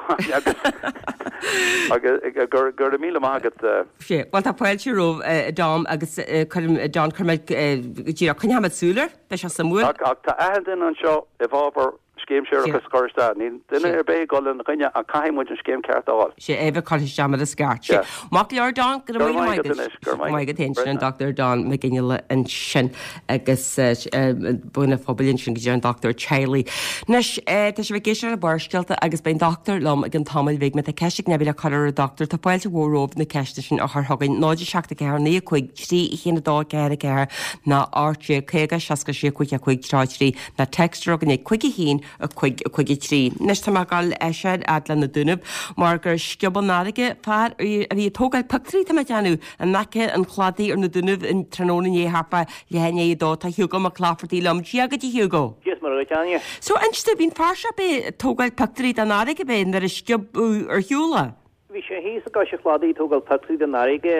agus go raibh míle maith agat. Sea, bhuel tá fáilte romhat a Don agus cuirim, Don, cuirfimid, díreach coinneoimid súil air, beidh sé suimiúil. Ach tá achan duine anseo i bhfabhar Scéim séarachais a chur isteach. Níl duine ar bith ag dul ina choinne ach caithfidh muid an scéim ceart a fháil. Sea, é bheith curtha isteach mar is ceart. Sea. Maith go leor Don, go raibh míle maith agat. Go raibh maith agat féin, sin an Dochtúir Don Mac Fhionnghaile ansin agus duine pobail ansin go dtí an dochtúir teaghlaigh. Anois, tá sibh ag éisteacht le Barrscéalta agus beidh an dochtúir liom i gcionn tamaill bhig. Má tá ceist ag duine le cur ar an dochtúir, tá fáilte mhór romhaibh na ceisteanna sin a chur chugainn, náid a seacht a ceathair naoi a cúig trí a haon a dó ceathair a ceathair ná ocht déag caoga seasca sé cúig a cúig trí trí ná text chugainn ag cúig a haon a cúig a cúig a trí. Anois tá mé ag dul soir fhad le na Dúnaibh mar gur sciob an fharraige fear a bhí ag tógáil pictiúirí tá mé ag déanamh in aice an chladaigh ar na Dúnaibh an tráthnóna inné thart fá leath i ndiaidh a dó. Tá Hugo Mac Laifeartaigh liom. Dia dhuit a Hugo. Dia is Muire dhuit, Áine. So inis domh, bhí an fear seo ag tógáil pictiúirí den fharraige ab é nuair a sciobadh ar shiúl é? Bhí sé thíos i gcois an chladaigh ag tógáil pictiúirí den fharraige.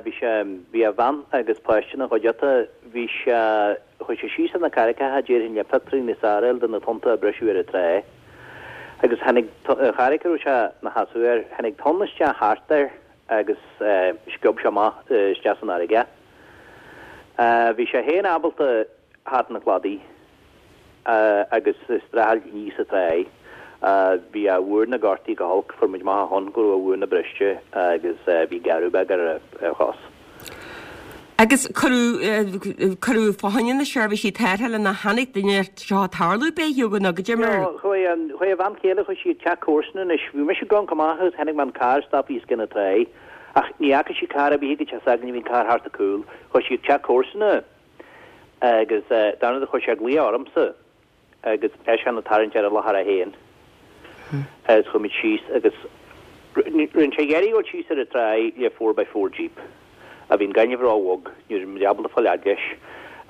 Bhí sé, bhí a bhean agus páiste ina chuideachta. Bhí sé, chuaigh sé síos ar na carraigeacha, déarfainn, le pictiúirí níos fearr a fháil de na tonnta a briseadh ar an trá. Agus tháinig, an charraig a raibh sé ina sheasamh air, tháinig tonn isteach thart air agus sciob sé amach isteach san fharraige. Bhí sé féin ábalta theacht 'un an chladaigh. agus ag streachailt aníos an tráigh. Bhí a mhúrna gortaithe go holc, fuair muid amach ó shoin go raibh a mhúrna briste agus bhí gearradh beag ar a chos. Agus cuireadh cuireadh fá choinne na seirbhísí tarrthála nó tháinig duine seo tarlú b'é Hugo nó goidé mar. Chuaigh an chuaigh a bhean chéile chuaigh sí ag teach comharsan anois. Bhí mise ag amharc amach agus chonaic mé an carr stoptha os cionn na trá ach ní fhaca sí carr ar bith ag teach s'againne, bhí an carr thart a cúl. Chuaigh sí ag teach comharsana agus dar ndóigh chuir sé glaoch ormsa agus eisean ag tarraingt ar an láthair é féin agus chuaigh muid síos agus rinne sé iarraidh dul síos ar an tráigh le four by four jeep a bhí an gaineamh ró-bhog, ní raibh muid ábalta fáil fhad leis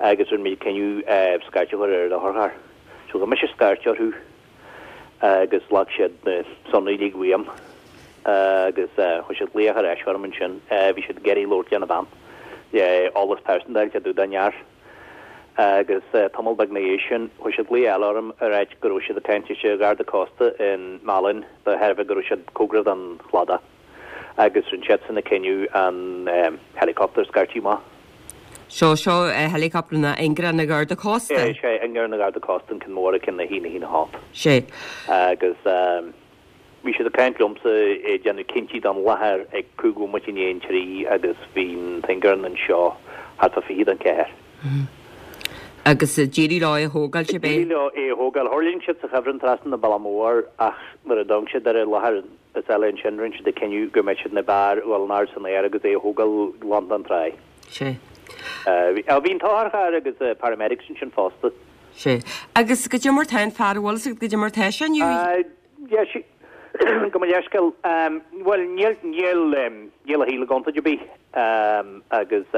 agus rinne muid cinneadh scairt a chur ar an otharcharr. So ghabh mise scairt orthu agus ghlac siad na sonraí uilig uaim agus chuir siad glaoch ar ais orm ansin. Bhí siad ag iarraidh labhairt lena bhean le eolas pearsanta a fháil fá dtaobh den fhear. Agus tamall beag na dhiaidh sin, chuir siad glaoch eile orm ag ráit go raibh siad ag caint leis an Gharda Cósta in Málainn de thairbhe go raibh siad cóngarach don chladach agus rinne siadsan an cinneadh an helicopter a scairteadh amach. Seo, seo helicopter na ingearán na Garda Cósta? Sé, ingearán na Garda Cósta an ceann mór, ceann a haon a haon a hocht. Sé. Agus bhí siad ag caint liomsa ag déanamh cinntí don láthair ag cúig bhomaite i ndiaidh an trí agus bhí an t-ingearán anseo thart fá fiche don ceathair. Agus d'éirigh leo é a thógáil, sé D'éirigh leo é a thógáil. Thuirling siad sa chuibhreann trasna na Bealach Mór ach nuair a d'amharc siad ar an láthair is eile ansin rinne siad an cinneadh go mbeadh siad ní b'fhearr a dhul in airde san aer agus é a thógáil glan den tráigh. Sé. Bhí an t-otharcharr agus paramedics ansin fosta. Sé. Agus goidé mar tá an fear, bhfuil fhios agat goidé mar tá sé inniu? Yeah, sí, gabh mo leithscéal. Bhuel, níl, níl, níl a shaol i gcontúirt ar bith agus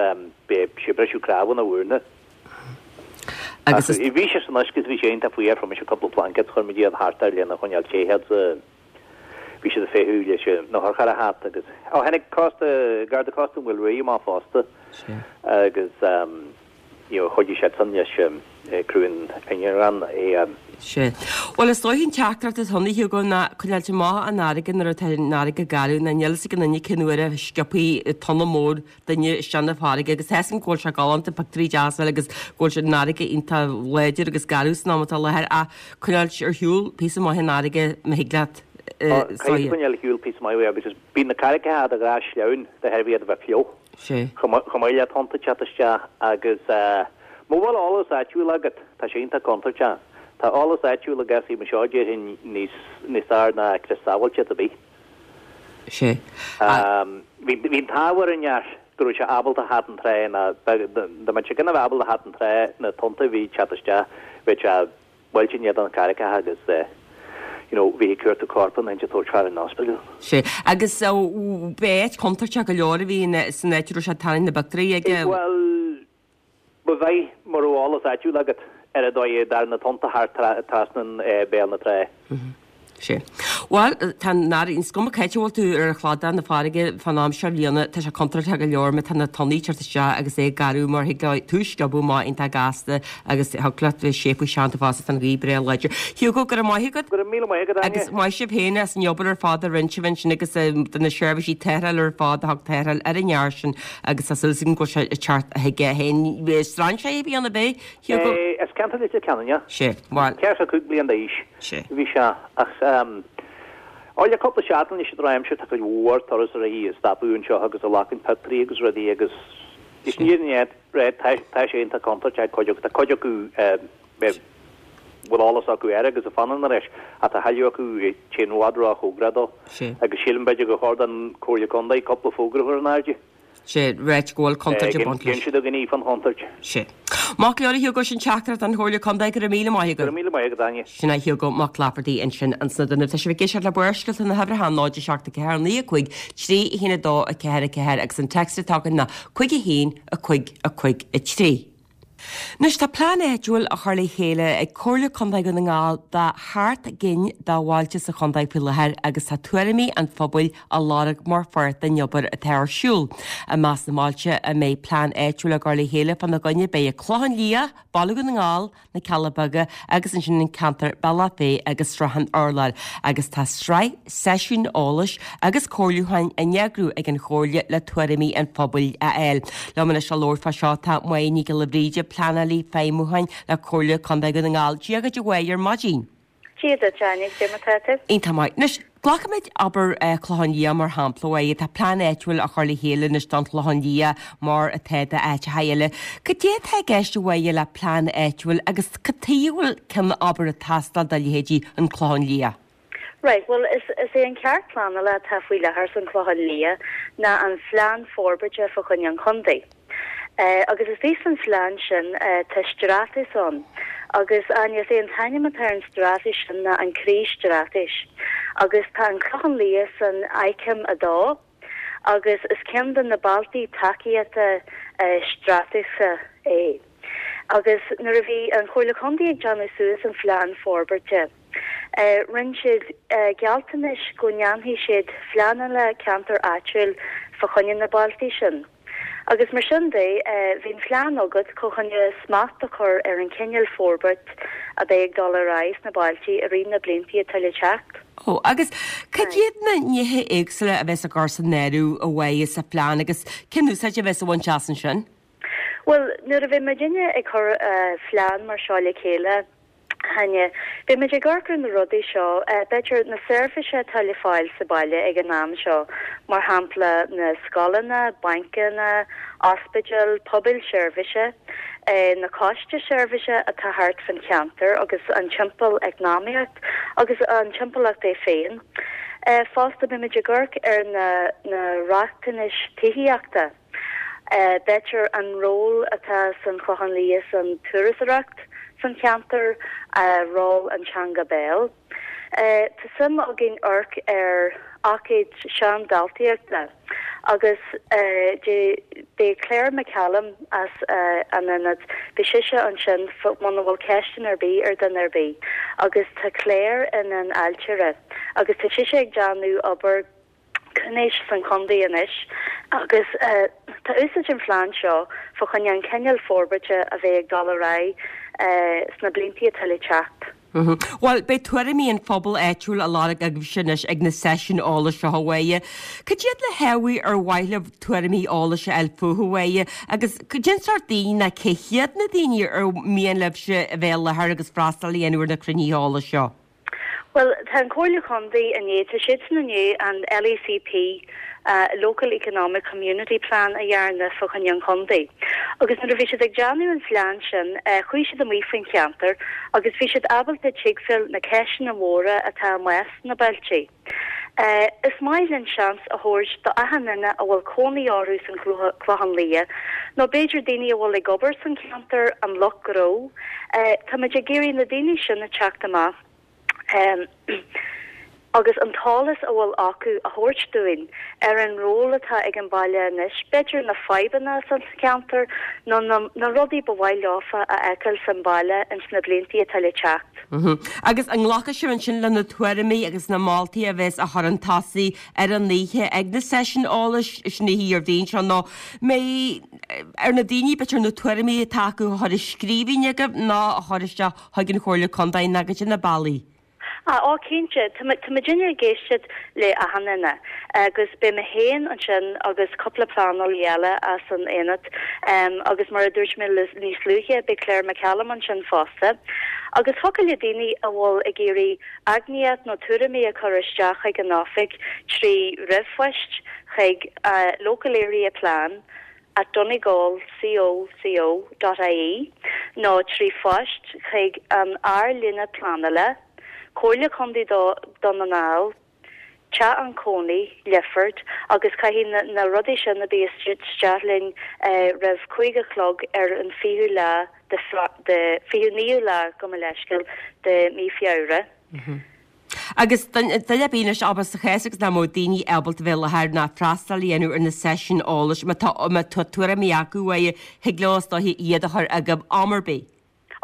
beidh sé briseadh cnámha ina mhúrna. Agus is. Bhí sé san uisce is bhí sé iontach fuar, fuair mise cúpla plaincéad, chuir muid iad thart air lena choinneáil te agus bhí siad ag feitheamh leis an otharcharr a theacht agus, ó tháinig cósta, Garda Cósta an Mhaoil Ruaidh amach fosta agus you know chuidigh siadsan leis criú an ingearáin é. Sea. Bhuel, is dóiche an teachtaireacht atá ann, a Hugo, ná coinneáilt amach an fharraige nuair atá an fharraige garbh, ná níl fhios ag aon duine cén uair a sciobfaidh tonna mór duine isteach na farraige agus tá fhios agam go bhfuil sé galánta, pictiúirí deasa agus go bhfuil sé an fharraige iontach láidir agus garbh san am atá i láthair ach coinneáilt ar shiúl píosa maith an fharraige má thig leat. Caithfidh tú coinneáil ar shiúl píosa maith uaidh agus bíonn na carraigeacha de ghnáth sleamhain de thairbhe iad a bheith fliuch. Sea. Chomh maith le tonnta teacht isteach agus mura bhfuil eolas áitiúil agat, tá sé iontach contúirteach. Tá eolas áitiúil i gcás mar seo déarfainn níos níos fearr ná crios sábháilteachta ar bith. Sea. Bhí bhí an t-ádh ar an fhear go raibh sé ábalta theacht an trá ná dá mbeadh sé gan a bheith ábalta theacht an trá na tonnta a bhí ag teacht isteach bheadh sé buailte in éadan na carraigeacha agus you know bhí ag cuartú corp an ag tabhairt fear an ospidéal. Sea. Agus b'áit chontúirteach go leor a bhí san áit a raibh sé ag tarraingt na bpictiúirí aige. Bhuel, ba mhaith mura raibh eolas áitiúil agat ar an dóigh a dtagann na tonnta thart trasna béal na trá. Sea. Bhuel, tá an fharraige, is cuma cá háit a bhfuil tú ar chladach na farraige fán am seo bliana, tá sé contúirteach go leor má tá na tonnaí ag teacht isteach agus é ag garbh mar thig leo tú a sciobadh amach iontach gasta agus thig leat bheith séimh seanta fosta tá an ghaoth breá láidir. Hugo, go raibh maith agat. Go raibh míle maith agat, Áine. Agus maith sibh féin as an obair ar fad a rinne sibh ansin agus do na seirbhísí tarrthála ar fad a thug tarrtháil ar an fhear sin agus tá súil agam go bhfuil sé ag teacht chuige féin. Strainséir a bhí ann ab é, Hugo? As ceantar Leitir Ceanainn, yeah. Sea, bhuel. Ceathracha cúig bliain d'aois. Sea. Bhí sé, ach ó le cúpla seachtain leis an drochaimsir tá cuid mhór turasóirí ag stopadh anseo agus ag glacann pictiúirí agus rudaí agus is ní ní tá tá sé iontach contúirteach cuid acu tá cuid acu bhfuil eolas acu air agus a fanann ar ais ach tá a thuilleadh acu téann i bhfad róchóngarach dó agus sílim b'fhéidir gur chóir don Chomhairle Contae cúpla fógra a chur in airde. Sea, ráit go bhfuil contúirt ag baint leis. Dhein siad a gníomh an chontúirt. Sea. Maith go leor a Hugo, sin teachtaireacht an Chomhairle Contae, go raibh míle maith agat. Go raibh míle maith agat, Áine. Sin é Hugo Mac Laifeartaigh ansin ins na Dúnaibh. Tá sibh ag éisteacht le Barrscéalta na huimhreacha náid a seacht a ceathair naoi a cúig trí a haon a dó a ceathair a ceathair agus an text atá againn ná cúig a haon a cúig a cúig a trí. Anois tá plean áitiúil á chur le chéile ag Comhairle Contae Dhún na nGall do sheacht gcinn de bhailte sa chontae faoi láthair agus tá tuairimí an phobail á lorg mar pháirt den obair atá ar siúl. I measc na mbailte a mbeidh plean áitiúil á gcur le chéile fána gcoinne beidh an Clochán Liath, Baile Dhún na nGall, Na Cealla Beaga agus ansin an ceantar Bealach Féich agus Srath an Urláir agus tá sraith seisiún eolais agus comhairliúcháin á n-eagrú ag an Chomhairle le tuairimí an phobail a fháil. Liom anois le labhairt fá seo tá Máire Ní Ghiolla Bhríde, pleanálaí feidhmiúcháin le Comhairle Contae Dhún na nGall. Dia dhuit a Mháire ar maidin. Dia duit, Áine, cé mar atá tú? Iontach maith. Anois, glacfaimid abair Clochán Liath mar shampla, a Mháire. Tá plean áitiúil á chur le chéile anois don Chlochán Liath mar atá d'áiteacha eile. Cad é atá i gceist a Mháire le plean áitiúil agus cad chuige a bhfuil ceann abair ag teastáil do leithéidí an Clochán Liath? Right, bhuel is is é an ceart pleanála atá faoi láthair san Chlochán Liath ná an phlean forbartha fá choinne an chontae. Agus istigh san phlean sin tá straitéis ann agus Áine, is é an t-ainm atá ar an straitéis sin ná an Croí-Straitéis agus tá an Clochán Liath san aicme a dó agus is ceann de na bailte tacaíochta straitéise é. Agus nuair a bhí an Chomhairle Contae ag déanamh suas an phlean forbartha, rinne siad gealltanais go ndéanfaidh siad pleananna ceantair áitiúil fá choinne na bailte sin. Agus mar sin de, bhí an phlean agat chun choinne smacht a chur ar an chineál forbairt a bheidh ag dul ar aghaidh sna bailte i rith na blianta atá le teacht. Ó, agus cad iad na nithe éagsúla a bheas á gcur san áireamh a Mháire sa phlean agus cén úsáid a bheas á bhaint as ansin? Bhuel, nuair a bheidh muidinne ag cur phlean mar seo le chéile, Áine, beidh muid ag amharc ar na rudaí seo, b'fhéidir na seirbhísí atá le fáil sa baile ag an am seo, mar shampla na scoileanna, bancanna, ospidéil, pobail seirbhíse, na coiste seirbhíse atá thart fan cheantar agus an timpeall eacnamaíocht agus an timpeallacht é féin. Fosta beidh muid ag amharc ar na na riachtanais tithíochta. B'fhéidir an ról atá san Chlochán Liath san turasóireacht san cheantar, ról an teanga béil. Tá suim againn amharc ar ócáid seandaltaíochta agus beidh Claire McCallum as an ionad, beidh sise ansin muna bhfuil ceisteanna ar bith ar duine ar bith agus tá Claire ina n-ailtire agus tá sise ag déanamh obair cúnais san chontae anois agus tá úsáid an phlean seo fá choinne an cineál forbairte a bheidh ag dul ar aghaidh sna blianta atá le teacht. Bhuel, beidh tuairimí an phobail áitiúil á lorg agaibhse anois ag na seisiúin eolais seo a Mháire. Cad iad na hábhair ar mhaith libh tuairimí eolais a fháil fúthu a Mháire agus cén sórt daoine nó cé hiad na daoine ar mian libhse a bheith i láthair agus freastal a dhéanamh ar na cruinnithe eolais seo? Bhuel, tá an Comhairle Contae i ndiaidh, tá siadsan i ndiaidh an LECP, Local Economic Community Plan a dhéanamh fá choinne an chontae. Agus nuair a bhí siad ag déanamh an phlean sin, chuaigh siad amuigh faoin cheantar agus bhí siad ábalta tuigbheáil na ceisteanna móra atá amuigh sna bailte. Is maith linn seans a thabhairt do achan duine a bhfuil cónaí orthu san Chlochán Liath, nó b'fhéidir daoine a bhfuil ag obair san cheantar, an lucht gnó. Táimid ag iarraidh na daoine sin a teacht amach. agus an t-eolas a bhfuil acu a thabhairt dúinn ar an ról atá ag an baile anois, b'fhéidir na fadhbanna san cheantar nó na na rudaí ba mhaith leofa a fheiceáil san baile ins na blianta atá le teacht. Agus an nglacfaidh sibh ansin le na tuairimí agus na moltaí a bheas á chur chun tosaigh ar an oíche ag na seisiúin eolais sin oíche Dhéardaoin seo nó mbeidh ar na daoine b'fhéidir na tuairimí atá acu a chur i scríbhinn agaibh nó a chur isteach chuig an Chomhairle Contae nó cad iad na bealaí? Ah, ó cinnte, tá tá muidinne ag éisteacht le achan duine agus beidh mé féin ansin agus cúpla pleanálaí eile as an aonad agus mar a dúirt mé níos luaithe beidh Claire McCallum ansin fosta. Agus thiocfadh le daoine a bhfuil ag iarraidh aighneacht nó tuairimí a chur isteach chuig an oifig trí ríomhphost chuig Local Area Plan at donegal co co dot ie nó trí phost chuig an Ardlíne Pleanála, Comhairle Contae Dhún na nGall, Teach an Chónaí, Lifford agus caithfidh na rudaí sin a bheith isteach linn roimh cúig a chlog ar an fichiú lá de fichiú naoú lá gabh mo leithscéal de mí Feabhra. Agus duine ar bith anois, abair, sa chás agus nach mbeadh daoine ábalta bheith i láthair ná freastal a dhéanamh ar na seisiúin eolais, má tá má tá tuairimí acu uaidh, thig leo is dóiche iad a chur agaibh am ar bith.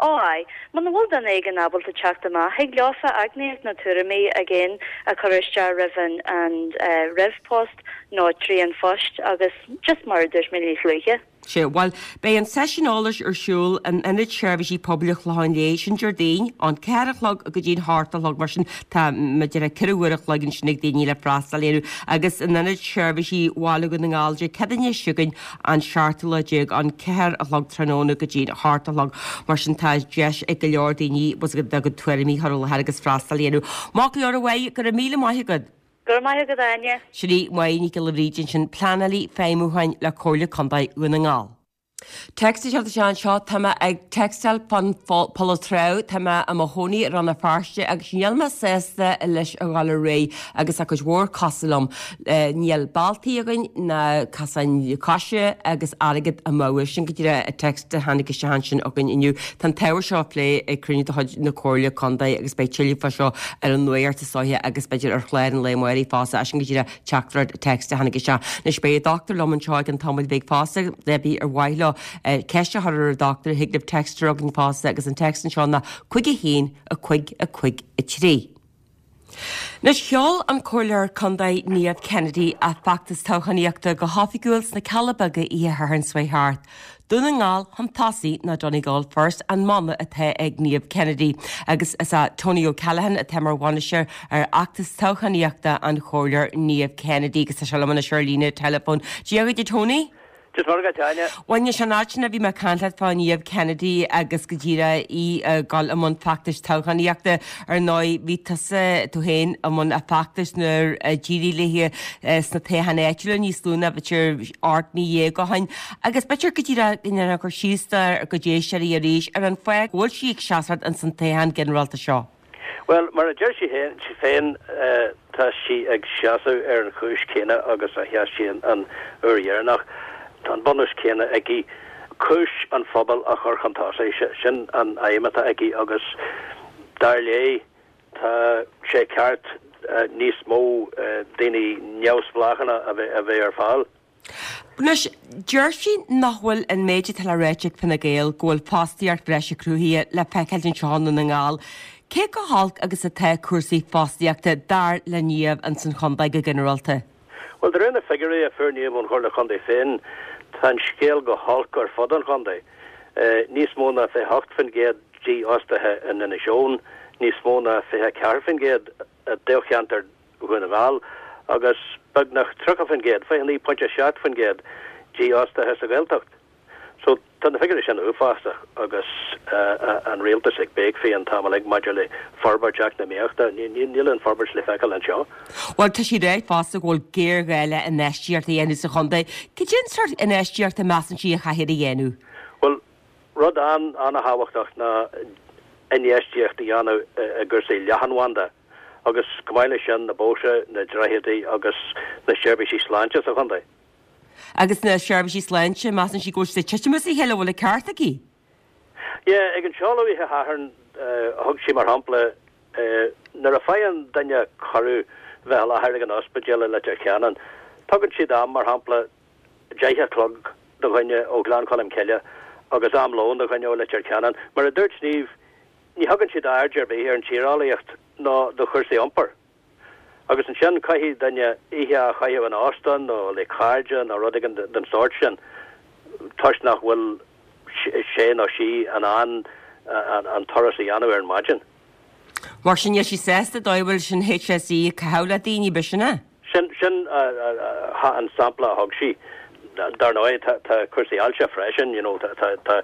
Ó aye, muna bhfuil duine éigin ábalta teacht amach, thig leofa aighneacht nó tuairimí again a chur isteach roimh an an ríomhphost nó trí an phost agus just mar a dúirt mé níos luaithe. Sea, bhuel, beidh an seisiún eolais ar siúl in Ionad Seirbhísí Pobail an Chlocháin Léith, sin Déardaoin, ón ceathair a chlog go dtí'n hocht a chlog, mar sin tá b'fhéidir ceithre uair a chloig ansin ag daoine le freastal air, agus in Ionad Seirbhísí Bhaile Dhún na nGall, Dé Céadaoine seo chugainn, an seachtú lá déag, ón ceathair a chlog tráthnóna go dtí'n hocht a chlog, mar sin tá deis ag go leor daoine a gcuid tuairimí a chur i láthair agus freastal a dhéanamh. Maith go leor, a Mháire, go raibh míle maith agat. Go raibh maith agat, a Áine. Sin í Máire Nic Giolla Bhríde ansin, Pleanálaí Feidhmiúcháin le Comhairle Contae Dhún na nGall. Text ag teacht isteach anseo, Tá mé ag textáil fán Poll Trá, tá mé i mo chónaí i Rann na Feirste agus níl mé sásta leis a dhul ar aghaidh agus tá cuid mhór cosúil liom. Níl bealtaí againn ná casáin coise agus airgead amú. Sin go díreach an text a tháinig isteach ansin againn inniu. Tá an t-ábhar seo á phlé ag cruinniú de chuid na Comhairle Contae agus beidh tuilleadh fá seo ar an nuacht is dóiche agus b'fhéidir ar chlár an lae amárach fosta. Sin go díreach teachtaireacht text a tháinig isteach. Anois beidh an dochtúir liom anseo i gceann tamaill bheag fosta, pé ar mhaith leo ceist a chur ar an dochtúir, thig libh text a chur chugainn fosta agus an text anseo ná cúig a haon, a cúig, a cúig, a trí. Anois sheol an Comhairleoir Contae Niamh Kennedy a feachtas toghchánaíochta go hoifigiúil sna Cealla Beaga oíche Shathairn seo thart. Dún na nGall chun tosaigh nó Donegal First an mana atá ag Niamh Kennedy agus is é Tony O'Callaghan atá mar bhainisteoir ar fheachtas toghchánaíochta an Chomhairleoir Niamh Kennedy agus tá sé liom anois ar líne teileafóin. Dia dhuit a Tony. Dia is Muire dhuit, a Áine. Bhuel, anois an fhad sin a bhí mé ag caint leat fá Niamh Kennedy agus go díreach í ag dul i mbun feachtais toghchánaíochta. Ar ndóigh, bhí tusa, tú féin, i mbun a feachtais nuair a d'éirigh léi sna toghcháin áitiúla níos lú ná b'fhéidir ocht mí dhéag ó shin. Agus b'fhéidir go díreach go ndéanfá cur síos dár gcuid éisteoirí arís ar an fáth go bhfuil sí ag seasamh ins an toghchán ginearálta seo. Bhuel, mar a deir sí féin, tá sí ag seasamh ar an chúis chéanna agus a sheas sí an uair dheireanach. Tá an bunús céanna aici, cúis an phobail a chur chun tosaigh, sin an aidhm atá aici agus dar léi tá sé ceart níos mó daoine neamhspleácha a bheith ar fáil. Anois, deir sí nach bhfuil an méid atá le ráit ag Fine Gael go bhfuil fostaíocht bhreise cruthaithe le feiceáil anseo i nDún na nGall. Cé chomh holc agus atá cúrsaí fostaíochta dar le Niamh ins an chontae go ginearálta? Bhuel, de réir na figiúirí a fuair Niamh ón Chomhairle Chontae féin, tá an scéal go holc ar fud an chontae. Níos mó ná fiche hocht faoin gcéad dífhostaithe in Inis Eoghain, níos mó ná fiche ceathair faoin gcéad i dtoghcheantar Dhún na nGall agus beagnach tríocha faoin gcéad, fiche naoi pointe seacht faoin gcéad, dífhostaithe sa Ghaeltacht. So tá na figiúirí sin uafásach agus an rialtas ag béic faoi an t-am uilig maidir le forbairt eacnamaíochta. Níl an forbairt le feiceáil anseo. Bhuel, tá sí ag ráit fosta go bhfuil géarghá le infheistíocht a dhéanamh sa chontae. Cad é an sórt infheistíocht a measann sí a chaithfear a dhéanamh? Bhuel, rud an-thábhachtach ná infheistíocht a dhéanamh i gcúrsaí leathanbhanda. agus chomh maith leis sin na bóithre, na droichid agus na seirbhísí sláinte sa chontae. Agus na seirbhísí sláinte, measann sí go bhfuil siad ag titim as a chéile, an bhfuil an ceart aici? Yeah, ag an seoladh oíche Shathairn thug sí mar shampla nuair a faigheann duine cuireadh bheith i láthair ag an ospidéal i Leitir Ceanainn, tugann siad am mar shampla deich a chlog do dhuine ó Ghleann Cholm Cille agus am lóin do dhuine ó Leitir Ceanainn. Mar a dúirt Niamh, ní thugann siad aird ar bith ar an tíreolaíocht ná do chúrsaí iompair. Agus ansin caithfidh duine oíche a chaitheamh in óstán nó le cairde nó rud éigin den sórt sin toisc nach bhfuil sé nó sí in ann an turas a dhéanamh ar an maidin. Mar sin níl sí sásta dóigh a bhfuil an HSE ag caitheamh le daoine, b'shin é? Sin sin an sampla a thug sí. Dar ndóigh tá tá cúrsaí ailse freisin, you know, tá tá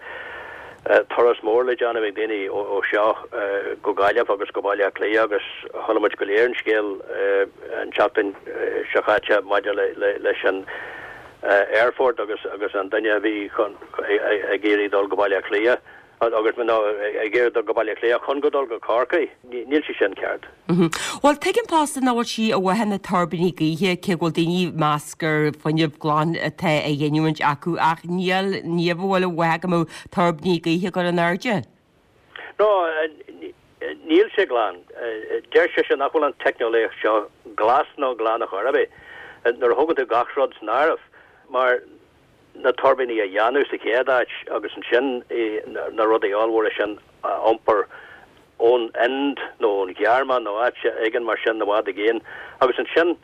turas mór le déanamh ag daoine ó seo go Gaillimh agus go Baile Átha Cliath agus chuala muid go léir an scéal an tseachtain seo chaite maidir le leis an aerfort agus agus an duine a bhí chun ag iarraidh dul go Baile Átha Cliath agus nó ag iarraidh dul go Baile Átha Cliath chun go dul go Corcaigh. Níl sé sin ceart. Bhuel, tuigim fosta nach bhfuil sí i bhfábhar na tuirbíní gaoithe, cé go bhfuil daoine ag meas gur fuinneamh glan atá á ghiniúint acu, ach níl Niamh i bhfábhar go mbeadh tuirbíní gaoithe á gcur in airde. No, níl sé glan. Deir sise nach bhfuil an teicneolaíocht seo glas nó glan ar chor ar bith, nuair a thógann tú gach rud san áireamh, mar na tuirbíní a dhéanamh sa chéad áit agus ansin na rudaí ollmhóra sin a iompar ón Ind nó ón Ghearmáin nó áit éigin mar sin i bhfad i gcéin agus ansin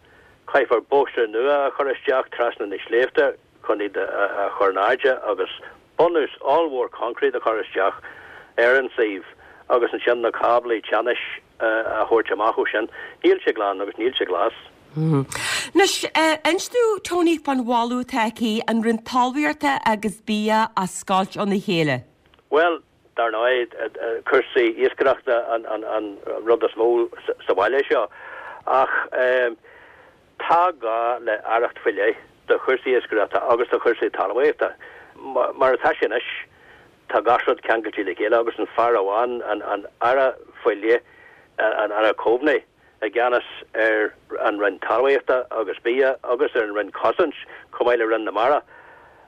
caithfear bóithre nua a chur isteach trasna na sléibhte chun iad a chur in airde agus bunús ollmhór concrete a chur isteach ar an suíomh agus ansin na cáblaí teannais a thabhairt amach ó sin. Níl sé glan agus níl sé glas. Anois, inis domh Tony fán mholadh atá aici an Roinn Talmhaíochta agus Bia a scoilt óna chéile. Bhuel, dar ndóigh, cúrsaí iascaireachta an rud is mó sa bhaile seo ach tá gá le aireacht faoi leith do chúrsaí iascaireachta agus do chúrsaí talmhaíochta. Mar atá sé anois, tá gach rud ceangailte le chéile agus an fear amháin, an aire faoi leith, an Aire Coveney, i gceannas ar an Roinn Talmhaíochta agus Bia agus ar an Roinn Cosaint chomh maith le Roinn na Mara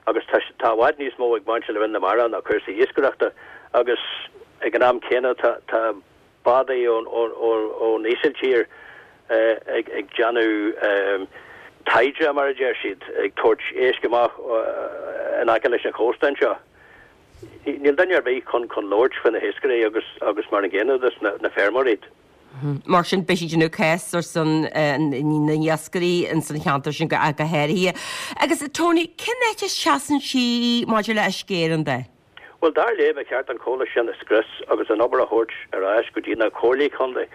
agus tá i bhfad níos mó ag baint le Roinn na Mara ná cúrsaí iascaireachta agus ag an am céanna tá bádaí ón Ísiltír ag déanamh taighde mar a deir siad, ag tabhairt éisc amach in aice leis an chósta anseo. Níl duine ar bith chun chun labhairt faoi na hiascairí agus agus mar an gcéanna dos na feirmeoirí. Mar sin beidh siad ag déanamh cás ar son na n-iascairí ins an cheantar sin go háirithe. Agus Tony, cén áit a seasann sí maidir le Uisce Éireann de? Bhuel, dar léi, ba cheart an comhlacht sin a scrios agus an obair a thabhairt ar ais go dtí na comhairlí contae.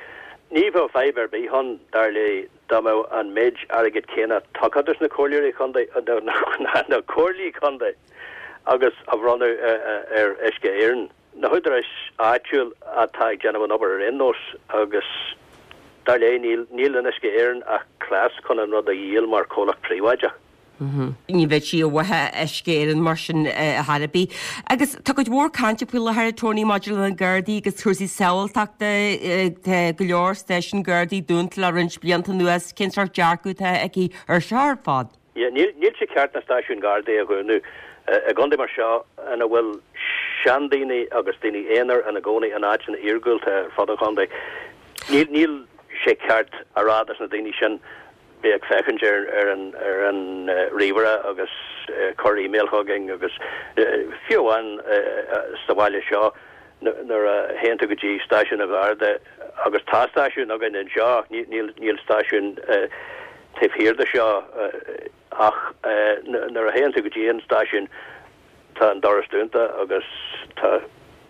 Ní bheadh fadhb ar bith ann, dar léi, dá mbeadh an méid airgid céanna tugtha dos na comhairleoirí contae, na comhairlí contae agus a bronnadh ar Uisce Éireann. Na húdaráis áitiúil atá ag déanamh an obair ar aon nós agus dar léi níl níl in Uisce Éireann ach cleas chun an rud a dhíol mar chomhlacht príobháideach. Ní bheadh sí i bhfábhar Uisce Éireann mar sin ar chor ar bith. Agus tá cuid mhór cainte faoi láthair, Tony, maidir le na Gardaí agus cúrsaí sábháilteachta. Tá go leor stáisiún Gardaí dúnta le roinnt blianta anuas. Cén sórt dearcadh atá aici ar seo ar fad? Yeah, níl níl sé ceart na stáisiúin Gardaí a dhúnadh i gcontae mar seo ina bhfuil seandaoine agus daoine aonair ina gcónaí in áiteanna iargúlta ar fud an chontae. Níl níl sé ceart a rá dos na daoine sin bheith ag féachaint ar ar an ar an ríomhaire agus cur email chugainn agus fiú amháin sa bhaile seo nuair a théann tú go dtí stáisiún an Gharda agus tá stáisiún againn anseo ach níl níl stáisiún taobh thiar de seo ach nuair a théann tú go dtí an stáisiún tá an doras dúnta agus tá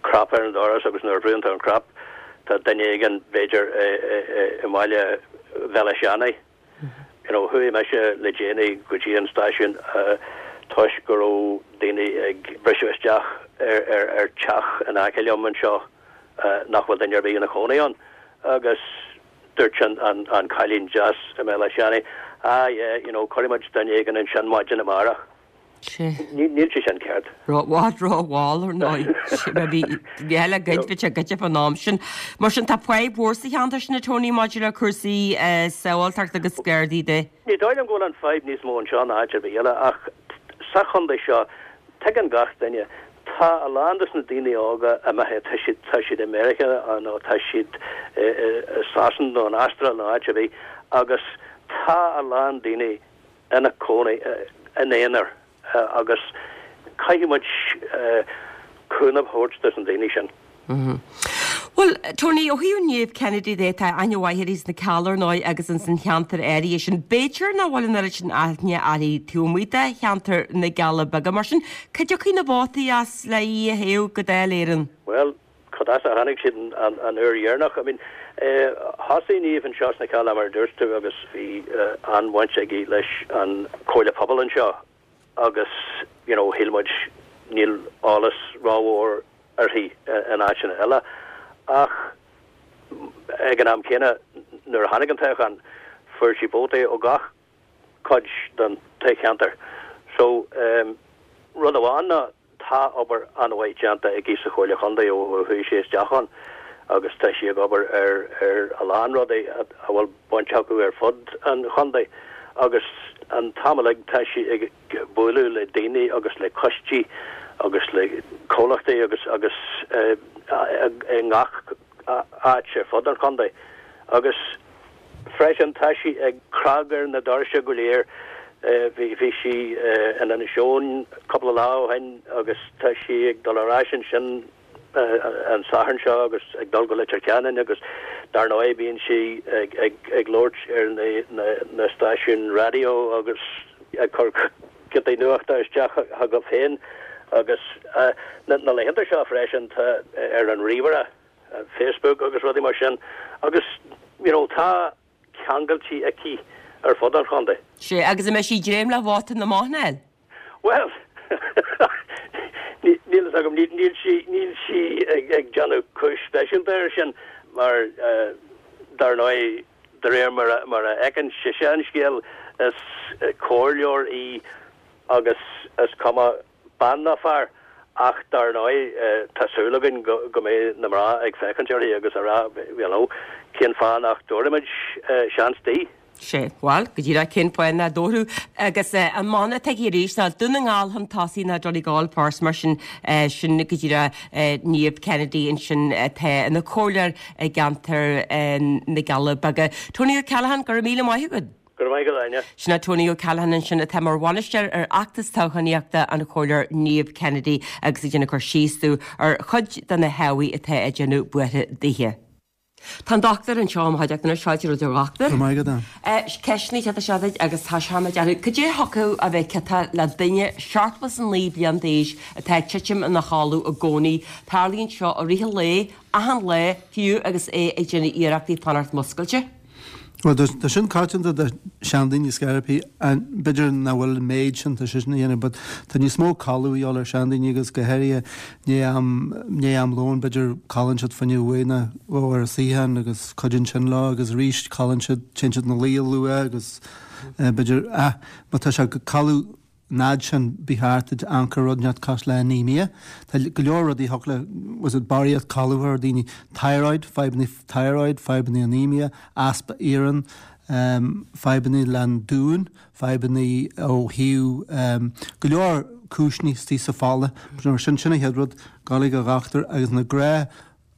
crap ar an doras agus nuair a bhrúnn tú an crap tá duine éigin b'fhéidir i mbaile Bhéal Átha Seanaidh. You know, chuaigh mise le déanaí go dtí an stáisiún toisc go raibh daoine ag briseadh isteach ar ar ar teach in aice liom anseo nach bhfuil duine ar bith ina chónaí ann agus dúirt an an an cailín deas i mBéal Átha Seanaidh, ah yeah, you know, cuirfidh muid duine éigin ansin maidin amárach. Níl sé sin ceart. Bhfad rómhall ar ndóigh. Bhí eile goid bhí sé goidte fán am sin. Mar sin tá fadhb mhór sa cheantar sin a Tony maidir le cúrsaí sábháilteachta agus Gardaí de. Ní dóigh liom go bhfuil an fadhb níos mó anseo ná áit ar bith eile ach sa chontae seo tuigeann gach duine tá a lán dos na daoine óga imithe tá siad tá siad i Meiriceá nó tá siad i Sasana nó in Astráil nó áit ar bith agus tá a lán daoine ina cónaí in aonar agus caithfidh muid cúnamh a thabhairt dos na daoine sin. Bhuel, Tony, ó thaobh Niamh Kennedy de, tá aithne mhaith uirthi sna Cealla ar ndóigh agus ins an cheantar áirithe sin. B'fhéidir nach bhfuil an oiread sin aithne uirthi taobh amuigh de cheantar na gCealla Beaga. Mar sin, cá dtiocfaidh na vótaí as le í a thoghadh go Dáil Éireann? Bhuel, cad as a tháinig siad an uair dheireanach? I mean, thosaigh Niamh anseo sna Cealla mar a dúirt tú agus bhí an-bhaint aici leis an Chomhairle Pobail anseo agus you know shíl muid níl eolas rómhór uirthi in áiteanna eile ach ag an am céanna nuair a tháinig an toghchán fuair sí vótaí ó gach cuid den toghcheantar. So rud amháin ná Tá obair an-mhaith déanta aici sa Chomhairle Chontae ó chuaigh sí isteach ann agus tá sí ag obair ar ar a lán rudaí a bhfuil baint acu ar fud an chontae agus an t-am uilig tá sí ag bualadh le daoine agus le coistí agus le comhlachtaí agus agus i ngach áit ar fud an chontae agus Freisin, tá sí ag cnag ar na doirse go léir. Bhí sí in Inis Eoghain cúpla lá ó shin agus tá sí ag dul ar ais ansin an Satharn seo agus ag dul go Leitir Ceanainn agus dar ndóigh bíonn sí ag labhairt ar na stáisiúin raidió agus ag cur giotaí nuachta isteach chugat féin agus na laethanta seo freisin tá ar an ríomhaire, Facebook agus rudaí mar sin agus you know tá ceangailtí aici ar fud an chontae. Sé, agus an mbeidh sí ag dréim le vóta na mban a fháil? Well, níl fhios agam, níl sí níl sí ag ag déanamh cúis speisialta air sin mar dar ndóigh de réir mar a mar a fheiceann sise an scéal is comhairleoir í agus is cuma bean ná fear ach dar ndóigh tá súil againn go go mbeidh na mná ag féachaint uirthi agus a rá you know cén fáth nach dtabharfaimid seans di. Sé, bhuel, go díreach cén fáth nach dtabharfadh agus an mana atá aici arís ná Dún na nGall chun tosaigh ná Donegal first mar sin sin go díreach Niamh Kennedy ansin atá ina comhairleoir i gceantar na gCealla Beaga. Tony O'Callaghan, go raibh míle maith agat. Go raibh maith agat, Áine. Sin é Tony O'Callaghan ansin atá mar bhainisteoir ar fheachtas toghchánaíochta an Chomhairleoir Niamh Kennedy agus ag déanamh cur síos dúinn ar chuid de na hábhair atá ag déanamh buartha dithe. Tá an dochtúir anseo i mo chuideachta anois, fáilte romhat a dhochtúir. Go raibh maith agat, Ann. Ceisteanna atá seo duit agus tá sé mar dearfadh. Cad é a thiocfadh a bheith ciotach le duine seachtó is a naoi bliain d'aois atá ag titim ina chodladh i gcónaí? Tarlaíonn seo i rith an lae, achan lá, fiú agus é ag déanamh iarrachtaí fanacht muscailte. Bhuel, tá sin coitianta do seandaoine scaití, b'fhéidir nach bhfuil an méid sin tá sé sin a dhéanamh, but tá níos mó codladh a dhíobháil ar seandaoine agus go háirithe i ndiaidh am, i ndiaidh am lóin, b'fhéidir codlann siad fá choinne uair nó dhó ar a suíochán agus cuidíonn sin leo agus arís codlann siad, téann siad ina luí luath agus b'fhéidir, ah, má tá sé ag codladh an fhad sin ba cheart duit amharc ar rud inteacht cosúil le anemia. Tá go leor rudaí a thiocfadh le, was it barraíocht codladh ar daoine, thyroid, fadhbanna thyroid, fadhbanna anemia, easpa iarainn, fadhbanna leis an dúin, fadhbanna ó thaobh go leor cúiseanna istigh sa fola. Mar sin, sin an chéad rud, gabháil ag an dhochtúir agus na gnáth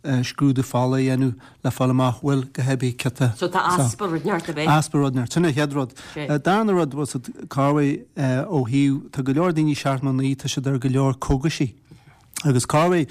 scrúdú fola a dhéanamh le fáil amach bhfuil go heibí ciota. So tá easpa rud inteacht ab é? Easpa rud inteacht. Sin an chéad rud. Darna rud, was it corruair ó thaobh, tá go leor daoine seachtó naoi, tá siad ar go leor cógaisí. Agus corruair,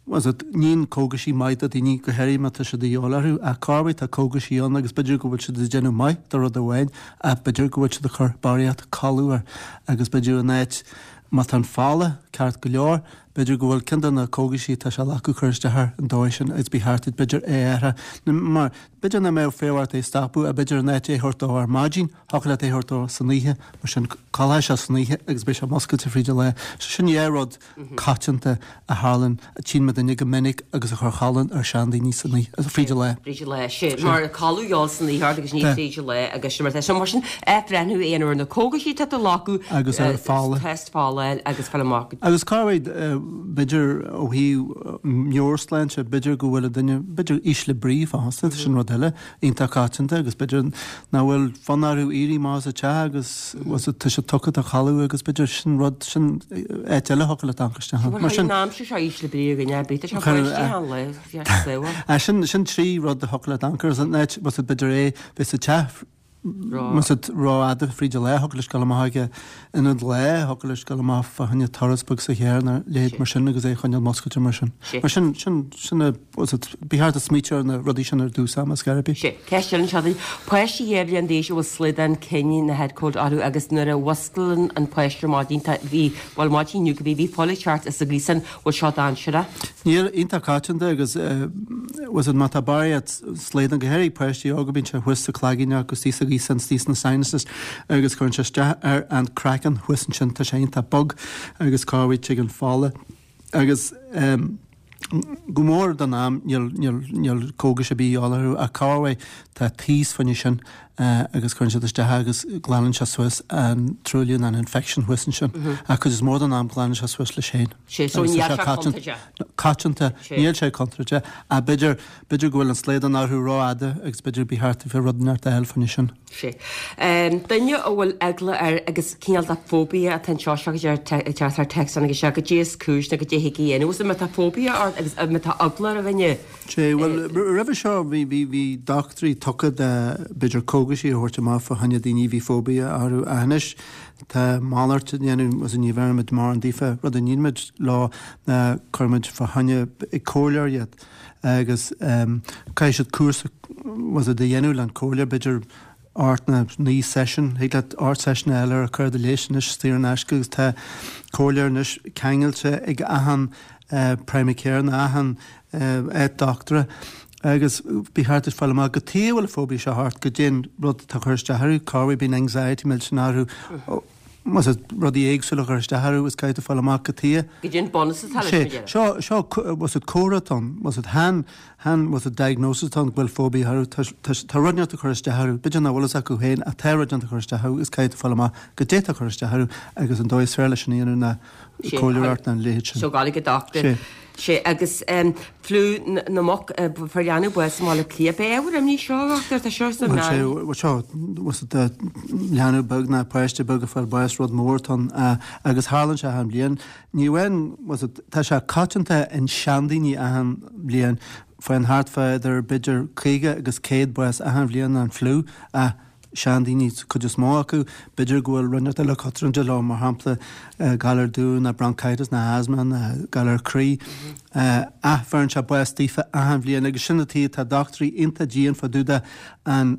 was it, níonn cógaisí maith do daoine, go háirithe má tá siad a dhíobháil orthu, ach corruair tá cógaisí ann agus b'fhéidir go bhfuil siad ag déanamh maith do rud amháin ach b'fhéidir go bhfuil siad ag cur barraíocht codladh air agus b'fhéidir in áit Má tá an fola ceart go leor, b'fhéidir go bhfuil ceann de na cógaisí atá sé acu cur isteach air an dóigh sin agus ba cheart duit b'fhéidir é a athrú. Mar b'fhéidir nach mbeadh fonn ort é a stopadh ach b'fhéidir in áit é a thabhairt dó ar maidin, thiocfadh leat é a thabhairt dó san oíche, mar sin codlóidh sé san oíche agus beidh sé muscailte fríd an lá. So sin dhá rud coitianta a tharlann, a tchíonn muidinne go minic agus a chuir codladh ar seandaoine san oíche, fríd an lá. Fríd an lá, sin mar codladh a ghabháil san oíche ort agus ní fríd an lá agus sin mar atá. So mar sin, athbhreithniú a dhéanamh ar na cógaisí atá tú a ghlacadh, Agus ar an fola. test fola a fháil agus fáil amach. Agus corruair, b'fhéidir ó thaobh meabhairshláinte, b'fhéidir go bhfuil an duine, b'fhéidir ísle brí fosta, sin rud eile iontach coitianta agus b'fhéidir nach bhfuil fonn orthu éirí amach as an teach agus tá siad tugtha do chodladh agus b'fhéidir sin rud, sin áit eile a thiocfadh leat amharc isteach ann. Mar sin. An aimsir seo ísle brí againn, eh, bítear seo báistí an lae, saol. Sin, sin trí rud a thiocfadh leat amharc air, an áit, b'fhéidir é bheith sa teach Más ea, rófhada fríd an lá, thiocfadh leis dul amach ag ionad lae, thiocfadh leis dul amach fá choinne turas beag sa charr nó a leithéid mar sin agus é a choinneáil muscailte mar sin. Mar sin, sin, sin a, was it, ba cheart a smaoitiú ar na rudaí sin ar dtús ama, ar scor ar bith. Sé. Ceist eile anseo duit. Páiste dhá bhliain d'aois a bhfuil slaghdán cinn nó head cold orthu agus nuair a mhusclaíonn an páiste ar maidin tá, bhí, bhuel maidin inniu go bhí, bhí fuil ag teacht as a gcliasán, bhfuil seo dainséarach? Níl, iontach coitianta agus was it má tá barraíocht slaghdán, go háirithe páistí óga, bíonn sé thuas sa cloigeann agus thíos sa gcliasán, thíos sna sinuses agus cuireann sé isteach ar an craiceann thuas ansin, tá sé iontach bog agus corruair tig an fola agus go mór den am níl, níl, níl cógais ar bith a dhíobháil orthu ach corruair tá taos fá choinne sin agus cuireann siad isteach agus glanann sé suas an truailliú nó an infection thuas ansin. Ach cuid is mó den am glanann sé suas leis féin. Sé, so níl sé contúirteach. Coitianta, níl sé contúirteach ach b'fhéidir, b'fhéidir go bhfuil an slaghdán orthu rófhada agus b'fhéidir ba cheart daofa rud inteacht a fháil fá choinne sin. Sé. Duine a bhfuil eagla air agus cineál de phobia atá anseo, seo go deir teacht ar text agus seo goidé is cúis nó goidé thig a dhéanamh. Má tá phobia ort agus má tá eagla ar dhuine, Sé, bhuel, roimhe seo bhí, bhí, bhí dochtúirí tugtha de, b'fhéidir cógaisí a thabhairt amach fá choinne daoine a bhí phobia orthu ach anois tá malairt á dhéanamh agus ní bheirimid mórán daofa, rud a nílimid leo ná cuirimid fá choinne ag comhairleoir iad agus caithfidh siad cúrsa was it a dhéanamh le an comhairleoir, b'fhéidir ocht nó naoi session, thig leat ocht session eile a chur do leis anois saor in aisce agus tá comhairleoir anois ceangailte ag achan primary care nó achan áit dochtúra agus ba cheart duit fáil amach cad chuige a bhfuil an phobia seo ort, goidé an rud atá ag cur isteach orthu, corruair bíonn anxiety millteanach orthu, más ea rudaí éagsúla a chur isteach orthu is caithfidh tú fáil amach cad chuige. Goidé an bunús atá leis, Sé, mar dhea. seo, seo, más ea comhartha atá ann, más ea chan, chan, más ea diagnosis atá ann go bhfuil phobia orthu, tá, tá, tá rud inteacht ag cur isteach orthu, b'fhéidir nach bhfuil fhios acu féin ach tá rud inteacht ag cur isteach orthu agus caithfidh tú fáil amach goidé atá ag cur isteach orthu agus an dóigh is fearr leis sin a dhéanamh ná Sé, comhairleoireacht nó a leithéid sin. So gabháil ag an dochtúir. Sé. Sé, agus fliú na muc, fuair leanbh bás i mBaile Átha Cliath. B'é ábhar imní seo, a dhochtúir, tá seo sna Bhuel, sé, meáin. bhuel seo, bhuel tá leanbh beag ná páiste beag ag fáil bás, rud mór atá ann, agus tharlaíonn sé achan bhliain. Ní amháin, bhuel tá sé coitianta in seandaoine achan bhliain, faigheann thart fá idir b'fhéidir caoga agus céad bás achan bhliain an fliú, ach seandaoine, cuid is mó acu, b'fhéidir go bhfuil rud inteacht eile cotromanta leo, mar shampla galar dubh ná bronchitis ná asthma ná galar croí. Ach bheireann sé bás daofa achan bhliain agus sin an tuige tá dochtúirí iontach dian fá dtaobh de an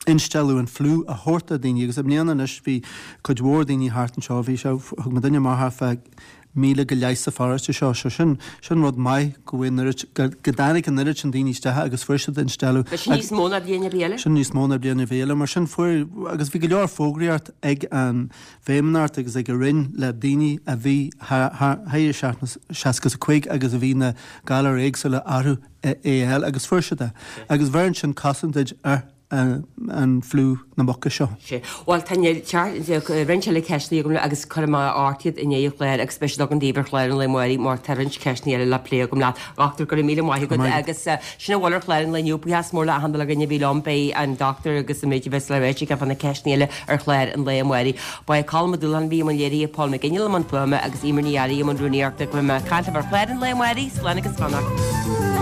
instealladh an fliú a thabhairt do dhaoine agus i mbliana anois bhí cuid mhór daoine thart anseo, bhí sé, thug mo dhuine amach thart fá míle go leith sa pharóiste seo. So sin, sin rud maith go bhfuil an oiread, go, go dtáinig an oiread sin daoine isteach agus fuair siad instealladh. Bhí sin níos mó ná bliain ar bith eile? Sin níos mó ná bliain ar bith eile. Mar sin fuair, agus bhí go leor fógraíocht ag an bhFeidhmeannacht agus ag an Roinn le daoine a bhí thar, thar, thar seacht, seasca is a cúig agus a bhí na galair éagsúla orthu é a fháil agus fuair siad é. Agus bheireann sin cosaint duit ar an fliú na muca seo. Sea. Bhuel, tá roinnt eile ceisteanna agam agus cuirfidh mé ort iad i ndiaidh an chláir agus beidh siad agam daoibh ar chlár an lae amáirigh mar tá roinnt ceisteanna eile le plé agam leat. A dhochtúir, go raibh míle maith agat agus sin a bhfuil ar chlár an lae inniu. Buíochas mór le achan duine a bhí liom. Beidh an dochtúir agus an méid a bheas le ráite aige fá na ceisteanna eile ar chlár an lae amáirigh. Ba é Colm Ó Dúláin a bhí i mbun léirithe, Paul McGinley i mbun fuaime agus Eimear Ní Fhearraigh i mbun rúnaíochta. Go mbeidh mé ag caint libh ar chlár an lae amáirigh. Slán agus beannacht.